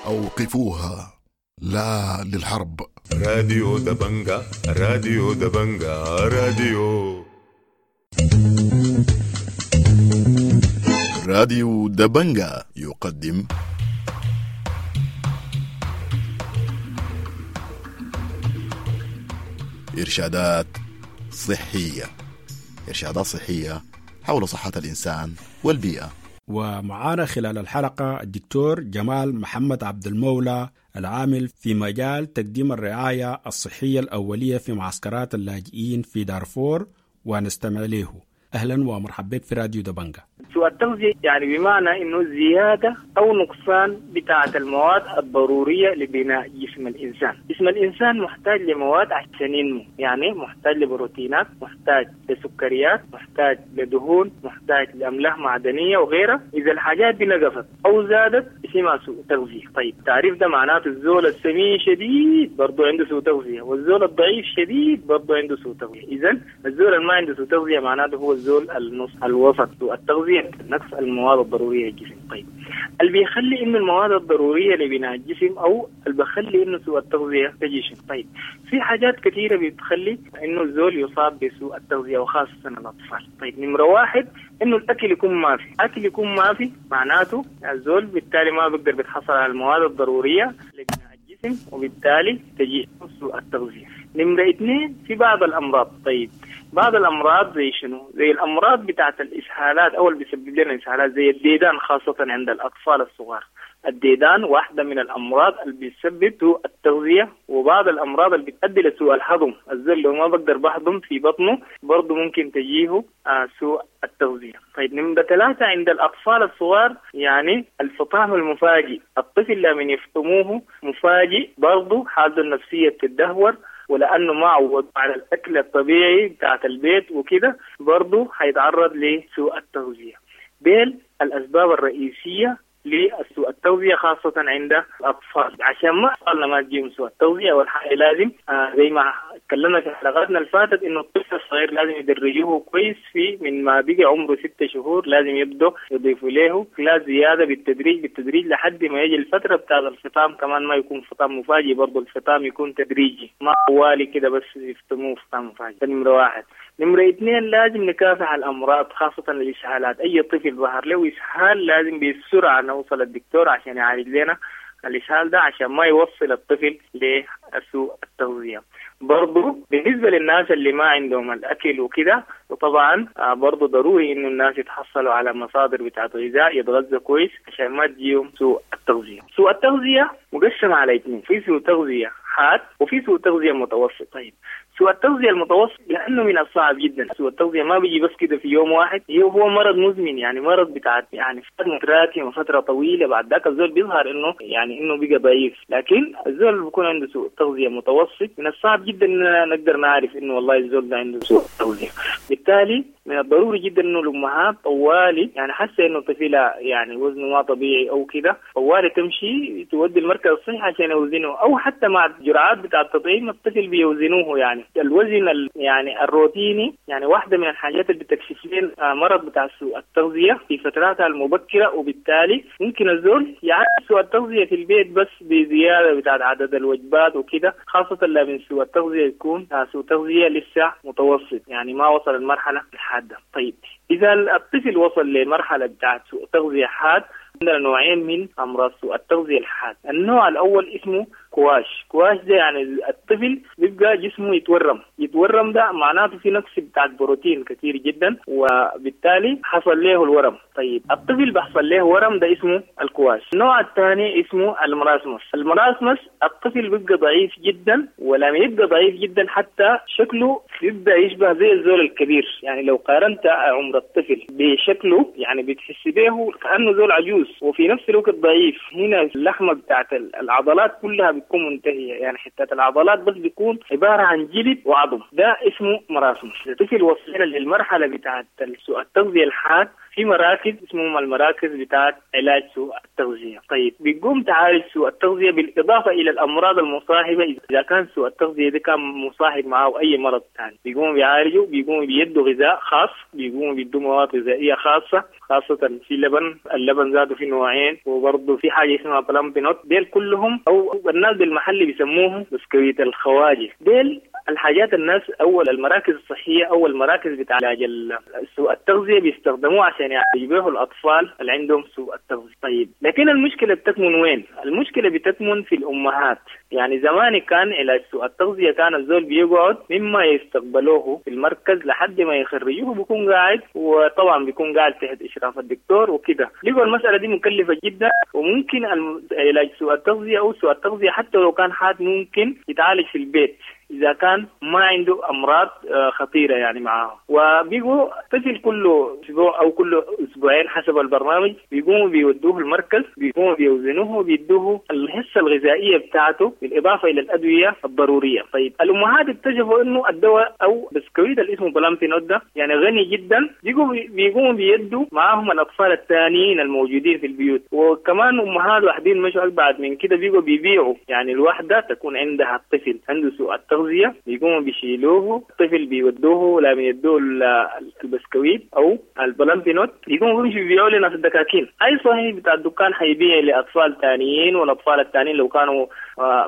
أوقفوها، لا للحرب. راديو دبنجا، راديو دبنجا، راديو راديو دبنجا يقدم إرشادات صحية. إرشادات صحية حول صحة الإنسان والبيئة. ومعانا خلال الحلقة الدكتور جمال محمد عبد المولى، العامل في مجال تقديم الرعاية الصحية الأولية في معسكرات اللاجئين في دارفور، ونستمع له. أهلا ومرحبا بك في راديو دبنجا. سوء التغذية يعني بمعنى إنه زيادة أو نقصان بتاعة المواد الضرورية لبناء جسم الإنسان. جسم الإنسان محتاج لمواد عشان ينمو، يعني محتاج لبروتينات، محتاج لسكريات، محتاج لدهون، محتاج لأملاح معدنية وغيرها. إذا الحاجات دي نقصت أو زادت اسمها سوء تغذية. طيب تعريف ده معناته الزول السمين شديد برضو عنده سوء تغذية، والزول الضعيف شديد برضو عنده سوء تغذية. إذا الزول اللي ما عنده سوء تغذية معناته هو الزول النص الوسط. سوء التغذية نقص المواد الضرورية للجسم. طيب اللي بيخلي إنه المواد الضرورية لبناء الجسم أو اللي بيخلي إنه سوء التغذية تجي، طيب في حاجات كثيرة بتخلي إنه الزول يصاب بسوء التغذية وخاصة الأطفال. طيب نمرة واحد إنه الأكل يكون ما في، أكل يكون ما في معناته الزول بالتالي ما بيقدر بيتحصل على المواد الضرورية لبناء الجسم وبالتالي تجي سوء التغذية. نمرة اثنين في بعض الأمراض. طيب بعض الأمراض زي شنو؟ زي الأمراض بتاعت الإسهالات أو اللي بيسبب لنا إسهالات زي الديدان، خاصة عند الأطفال الصغار. الديدان واحدة من الأمراض اللي بتسبب سوء التغذية، وبعض الأمراض اللي بتؤدي لسوء الهضم. الزول لو ما بقدر بهضم في بطنه برضه ممكن تجيه سوء التغذية. طيب نمرة ثلاثة عند الأطفال الصغار يعني الفطام المفاجئ. الطفل لما يفطموه مفاجئ برضه حالته النفسية بتدهور، ولأنه ما عود على الأكل الطبيعي بتاعت البيت وكده برضه هيتعرض لسوء التغذية. ديل الأسباب الرئيسية لسوء التغذية خاصة عند الأطفال. عشان ما أطفالنا ما تجيهم سوء التغذية، والحقيقة لازم زي ما تكلمنا في حلقاتنا اللي فاتت إنه الطفل الصغير لازم يدرجوه كويس في من ما بقي عمره 6 شهور، لازم يبدأ يضيفوا له لا زيادة بالتدريج بالتدريج لحد ما يجي الفترة بتاع الفطام. كمان ما يكون فطام مفاجئ، برضه الفطام يكون تدريجي، ما طوالي كده بس يفطموه فطام مفاجئ. ده نمرة واحد. نمرة اثنين لازم نكافح الأمراض خاصة الإسهالات. أي طفل ظهر له إسهال لازم بسرعة نوصل الدكتور عشان يعالج لنا الإسهال ده عشان ما يوصل الطفل لسوء التغذية. برضو بالنسبة للناس اللي ما عندهم الأكل وكده، وطبعا برضو ضروري إنه الناس يتحصلوا على مصادر بتاعت غذاء يتغذوا كويس عشان ما تجيهم سوء التغذية. سوء التغذية مقسم على اثنين، في سوء تغذية حاد وفي سوء تغذية متوسط. طيب سوء التغذية المتوسط لأنه من الصعب جدا، سوء التغذية ما بيجي بس كده في يوم واحد، هو مرض مزمن، يعني مرض بتاع يعني فترة متراكمة فترة طويلة، بعد ذاك الزول بيظهر إنه يعني إنه بقى ضعيف. لكن الزول اللي بيكون عنده سوء تغذية متوسط من الصعب جدا إننا نقدر نعرف إنه والله الزول ده عنده سوء تغذية. بالتالي من الضروري جدا إنه الأمهات طوالي يعني حاسة إنه طفلها يعني وزنه ما طبيعي أو كده، طوالي تمشي تودي المركز الصحي عشان يوزنه، أو حتى مع الجرعات بتاع التطعيم الطفل بيوزنوه يعني. الوزن يعني الروتيني يعني واحدة من الحاجات اللي بتكشف لنا مرض بتاع سوء التغذية في فتراتها المبكرة، وبالتالي ممكن الزول يعالج سوء التغذية في البيت بس بزيادة بتاعت عدد الوجبات وكده، خاصة لما سوء التغذية يكون سوء تغذية لسه متوسط، يعني ما وصل المرحلة الحادة. طيب إذا الطفل وصل لمرحلة بتاعت سوء تغذية حاد، عندنا نوعين من أمراض سوء التغذية الحاد. النوع الأول اسمه كواش. كواش ده يعني الطفل بيبقى جسمه يتورم، يتورم ده معناته في نقص بتاع بروتين كثير جدا، وبالتالي حصل له الورم. طيب الطفل بيحصل له ورم ده اسمه الكواش. النوع الثاني اسمه ال marasmus. ال marasmus الطفل بيبقى ضعيف جدا، ولما يبقى ضعيف جدا حتى شكله بيبدأ يشبه زي الزول الكبير، يعني لو قارنت عمر الطفل بشكله يعني بتحس به كأنه زول عجوز، وفي نفس الوقت ضعيف. هنا اللحمة بتاعت العضلات كلها بتكون منتهية، يعني حتة العضلات بس بيكون عبارة عن جلد وعظم، ده اسمه marasmus. الطفل وصلنا للمرحلة بتاعت سوء التغذية الحاد في مراكز اسمهم المراكز بتاعت علاج سوء التغذية. طيب بيقوم تعالج سوء التغذية بالإضافة إلى الأمراض المصاحبة، إذا كان سوء التغذية ده كان مصاحب معه أي مرض ثاني بيقوموا بيعالجوا، بيقوموا بيدوا غذاء خاص، بيقوموا بيدوا مواد غذائية خاصة، خاصة في لبن، اللبن ذاته في نوعين، وبرضه في حاجة اسمها Plumpy'Nut. ديل كلهم أو الناس بالمحل بيسموهم بسكويت الخواجة. ديل الحاجات الناس أول المراكز الصحية أو المراكز بتاع علاج سوء التغذية بيستخدموه عشان يعالجوا الأطفال اللي عندهم سوء التغذية. طيب لكن المشكلة بتكمن وين؟ المشكلة بتكمن في الأمهات. يعني زمان كان علاج سوء التغذية كان الزول بيقعد مما يستقبلوه في المركز لحد ما يخرجوه بيكون قاعد، وطبعا بيكون قاعد تحت إشراف الدكتور وكده. لقوا المسألة دي مكلفة جدا، وممكن علاج سوء التغذية أو سوء التغذية حتى لو كان حاد ممكن يتعالج في البيت إذا كان ما عنده أمراض خطيرة يعني معاه. وبيجوا طفل كل أسبوع أو كل أسبوعين حسب البرنامج بيقوموا بيودوه المركز، بيقوموا بيوزنوه وبيدوه الحصة الغذائية بتاعته بالإضافة إلى الأدوية الضرورية. طيب الأمهات اكتشفوا إنه الدواء أو بسكويت اللي اسمه Plumpy'Nut ده يعني غني جدا، بيقوموا بيدوا معاهم الأطفال الثانيين الموجودين في البيوت. وكمان أمهات واحدين مشوا أبعد من كده، بيجوا بيبيعوا، يعني الواحدة تكون عندها الطفل عنده سوء التغذية بيقوموا بيشيلوه الطفل بيودوه لما يدوه البسكويت او ال Plumpy'Nut، بيقوموا بيمشوا بيبيعوا لنا في الدكاكين. اي صحيح بتاع الدكان حيبيع لاطفال ثانيين، والاطفال الثانيين لو كانوا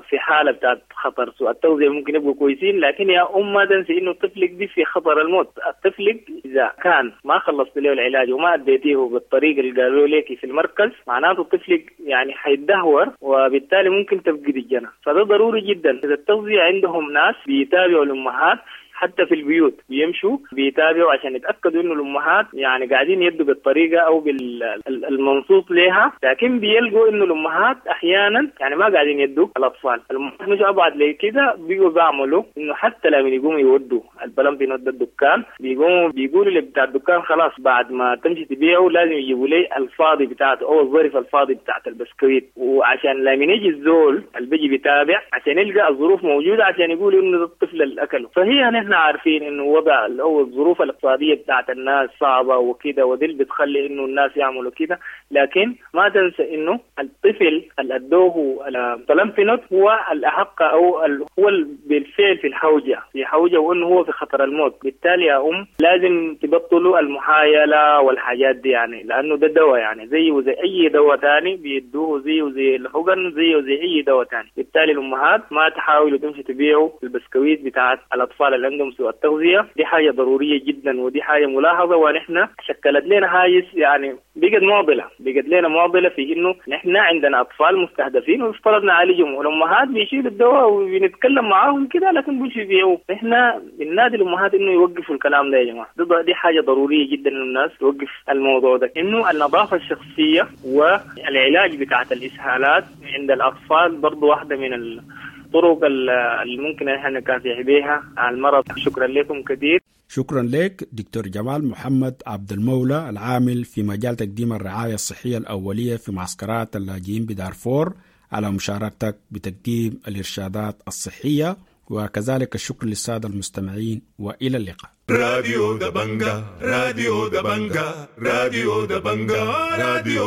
في حاله بتاعت خطر سوء التغذية ممكن يبقوا كويسين، لكن يا ام ما تنسي انه طفلك دي في خطر الموت. طفلك اذا كان ما خلصت له العلاج وما اديتيه بالطريقة اللي قالوا لك في المركز، معناته طفلك يعني حيتدهور، وبالتالي ممكن تفقد الجنة. فده ضروري جدا. اذا التغذية عندهم ناس بيتابعوا الأمهات حتى في البيوت، بيمشوا بيتابعوا عشان يتأكدوا إنه الأمهات يعني قاعدين يدوا بالطريقة أو بالمنصوص لها، لكن بيلقوا إنه الأمهات أحيانا يعني ما قاعدين يدوا الأطفال. الأمهات مش أبعد ليه كده، بيجوا بيعملوا إنه حتى لما يقوموا يودوا ال Plumpy'Nut الدكان، بيقوموا بيقولوا لبتاع الدكان خلاص بعد ما تمشي تبيعه لازم يجيبوا لي الفاضي بتاعته أو الظرف الفاضي بتاعت البسكويت، وعشان لما يجي الزول اللي بيجي بيتابع عشان يلقى الظروف موجودة عشان يقولوا إنه الطفل اللي أكله. فهي نحن عارفين انه وضع او الظروف الاقتصادية بتاعت الناس صعبة وكده، ودي اللي بتخلي انه الناس يعملوا كده، لكن ما تنسى انه الطفل اللي ادوه ال Plumpy'Nut هو الاحق او هو بالفعل في الحوجه، في حوجه، وانه هو في خطر الموت. بالتالي يا ام لازم تبطلوا المحايله والحاجات دي، يعني لانه ده دواء يعني زيه وزي اي دواء ثاني بيدوه، زيه وزي الحقن، زيه وزي اي دواء ثاني. بالتالي الامهات ما تحاولوا تمشي تبيعوا البسكويت بتاعت الاطفال اللي عندهم سوء التغذية، دي حاجة ضرورية جدا، ودي حاجة ملاحظة، ونحن شكلت لنا هاجس يعني بقت معضلة، بقت لنا معضلة في إنه نحن عندنا أطفال مستهدفين ويفترض نعالجهم، والأمهات بيشيلوا الدواء وبنتكلم معاهم كده لكن بيمشوا يبيعوه. نحن بننادي الأمهات إنه يوقفوا الكلام ده يا جماعة، دي حاجة ضرورية جدا إنه الناس توقف الموضوع ده، إنه النظافة الشخصية والعلاج بتاعت الإسهالات عند الأطفال برضو واحدة من الطرق اللي ممكن احنا نكافح بها على المرض. شكرا لكم كثير. شكرا لك دكتور جمال محمد عبد المولى العامل في مجال تقديم الرعاية الصحية الأولية في معسكرات اللاجئين بدارفور على مشاركتك بتقديم الإرشادات الصحية، وكذلك الشكر للسادة المستمعين، وإلى اللقاء. راديو دبنجا، راديو دبنجا، راديو دبنجا، راديو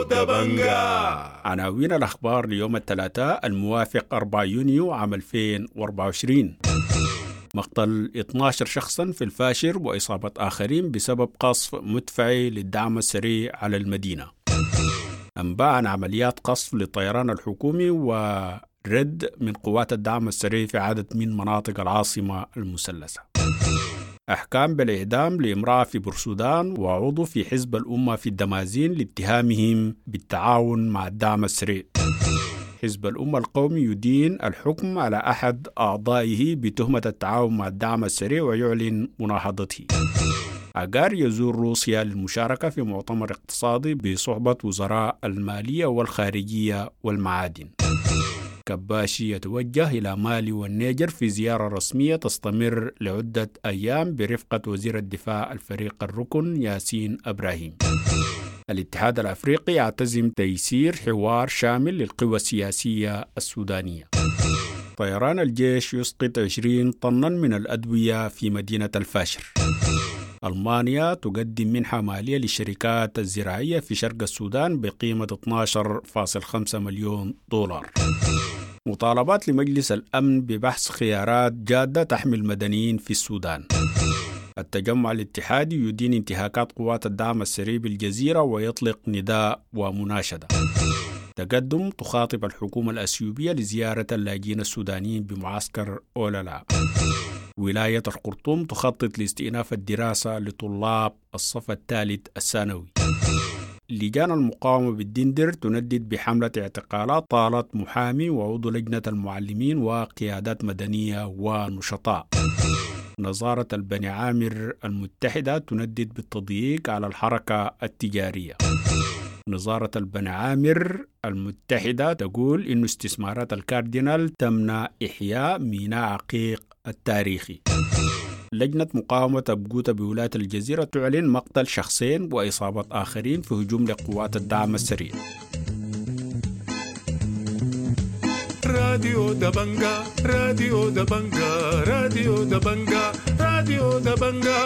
دبنجا. عناوين الأخبار ليوم الثلاثاء الموافق 4 يونيو عام 2024. مقتل 12 شخصا في الفاشر وإصابة آخرين بسبب قصف مدفعي للدعم السريع على المدينة. أنباء عن عمليات قصف للطيران الحكومي ورد من قوات الدعم السريع في عدد من مناطق العاصمة المثلثة. أحكام بالإعدام لامرأة في بورسودان وعضو في حزب الأمة في الدمازين لاتهامهم بالتعاون مع الدعم السريع. حزب الأمة القومي يدين الحكم على أحد أعضائه بتهمة التعاون مع الدعم السريع ويعلن مناهضته. عقار يزور روسيا للمشاركة في مؤتمر اقتصادي بصحبة وزراء المالية والخارجية والمعادن. كباشي يتوجه إلى مالي والنيجر في زيارة رسمية تستمر لعدة أيام برفقة وزير الدفاع الفريق الركن ياسين إبراهيم. الاتحاد الأفريقي يعتزم تيسير حوار شامل للقوى السياسية السودانية. طيران الجيش يسقط 20 طنا من الأدوية في مدينة الفاشر. ألمانيا تقدم منحة مالية للشركات الزراعية في شرق السودان بقيمة 12.5 مليون دولار. مطالبات لمجلس الأمن ببحث خيارات جادة تحمي المدنيين في السودان. التجمع الاتحادي يدين انتهاكات قوات الدعم السري بالجزيرة ويطلق نداء ومناشدة. تقدم تخاطب الحكومة الأثيوبية لزيارة اللاجئين السودانيين بمعسكر أولالا. ولاية الخرطوم تخطط لاستئناف الدراسة لطلاب الصف الثالث الثانوي. لجان المقاومة بالدندر تندد بحملة اعتقالات طالت محامي وعضو لجنة المعلمين وقيادات مدنية ونشطاء. نظارة البني عامر المتحدة تندد بالتضييق على الحركة التجارية. نظارة البني عامر المتحدة تقول إن استثمارات الكاردينال تمنع إحياء ميناء عقيق التاريخي. لجنة مقاومة أبجوتا بولاية الجزيرة تعلن مقتل شخصين وإصابة آخرين في هجوم لقوات الدعم السريع. راديو دبنجا، راديو دبنجا، راديو دبنجا، راديو دبنجا.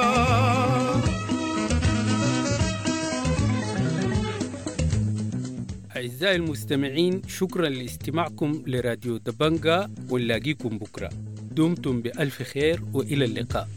أعزائي المستمعين، شكرا لاستماعكم لراديو دبنجا، ونلاقيكم بكرة. دمتم بألف خير وإلى اللقاء.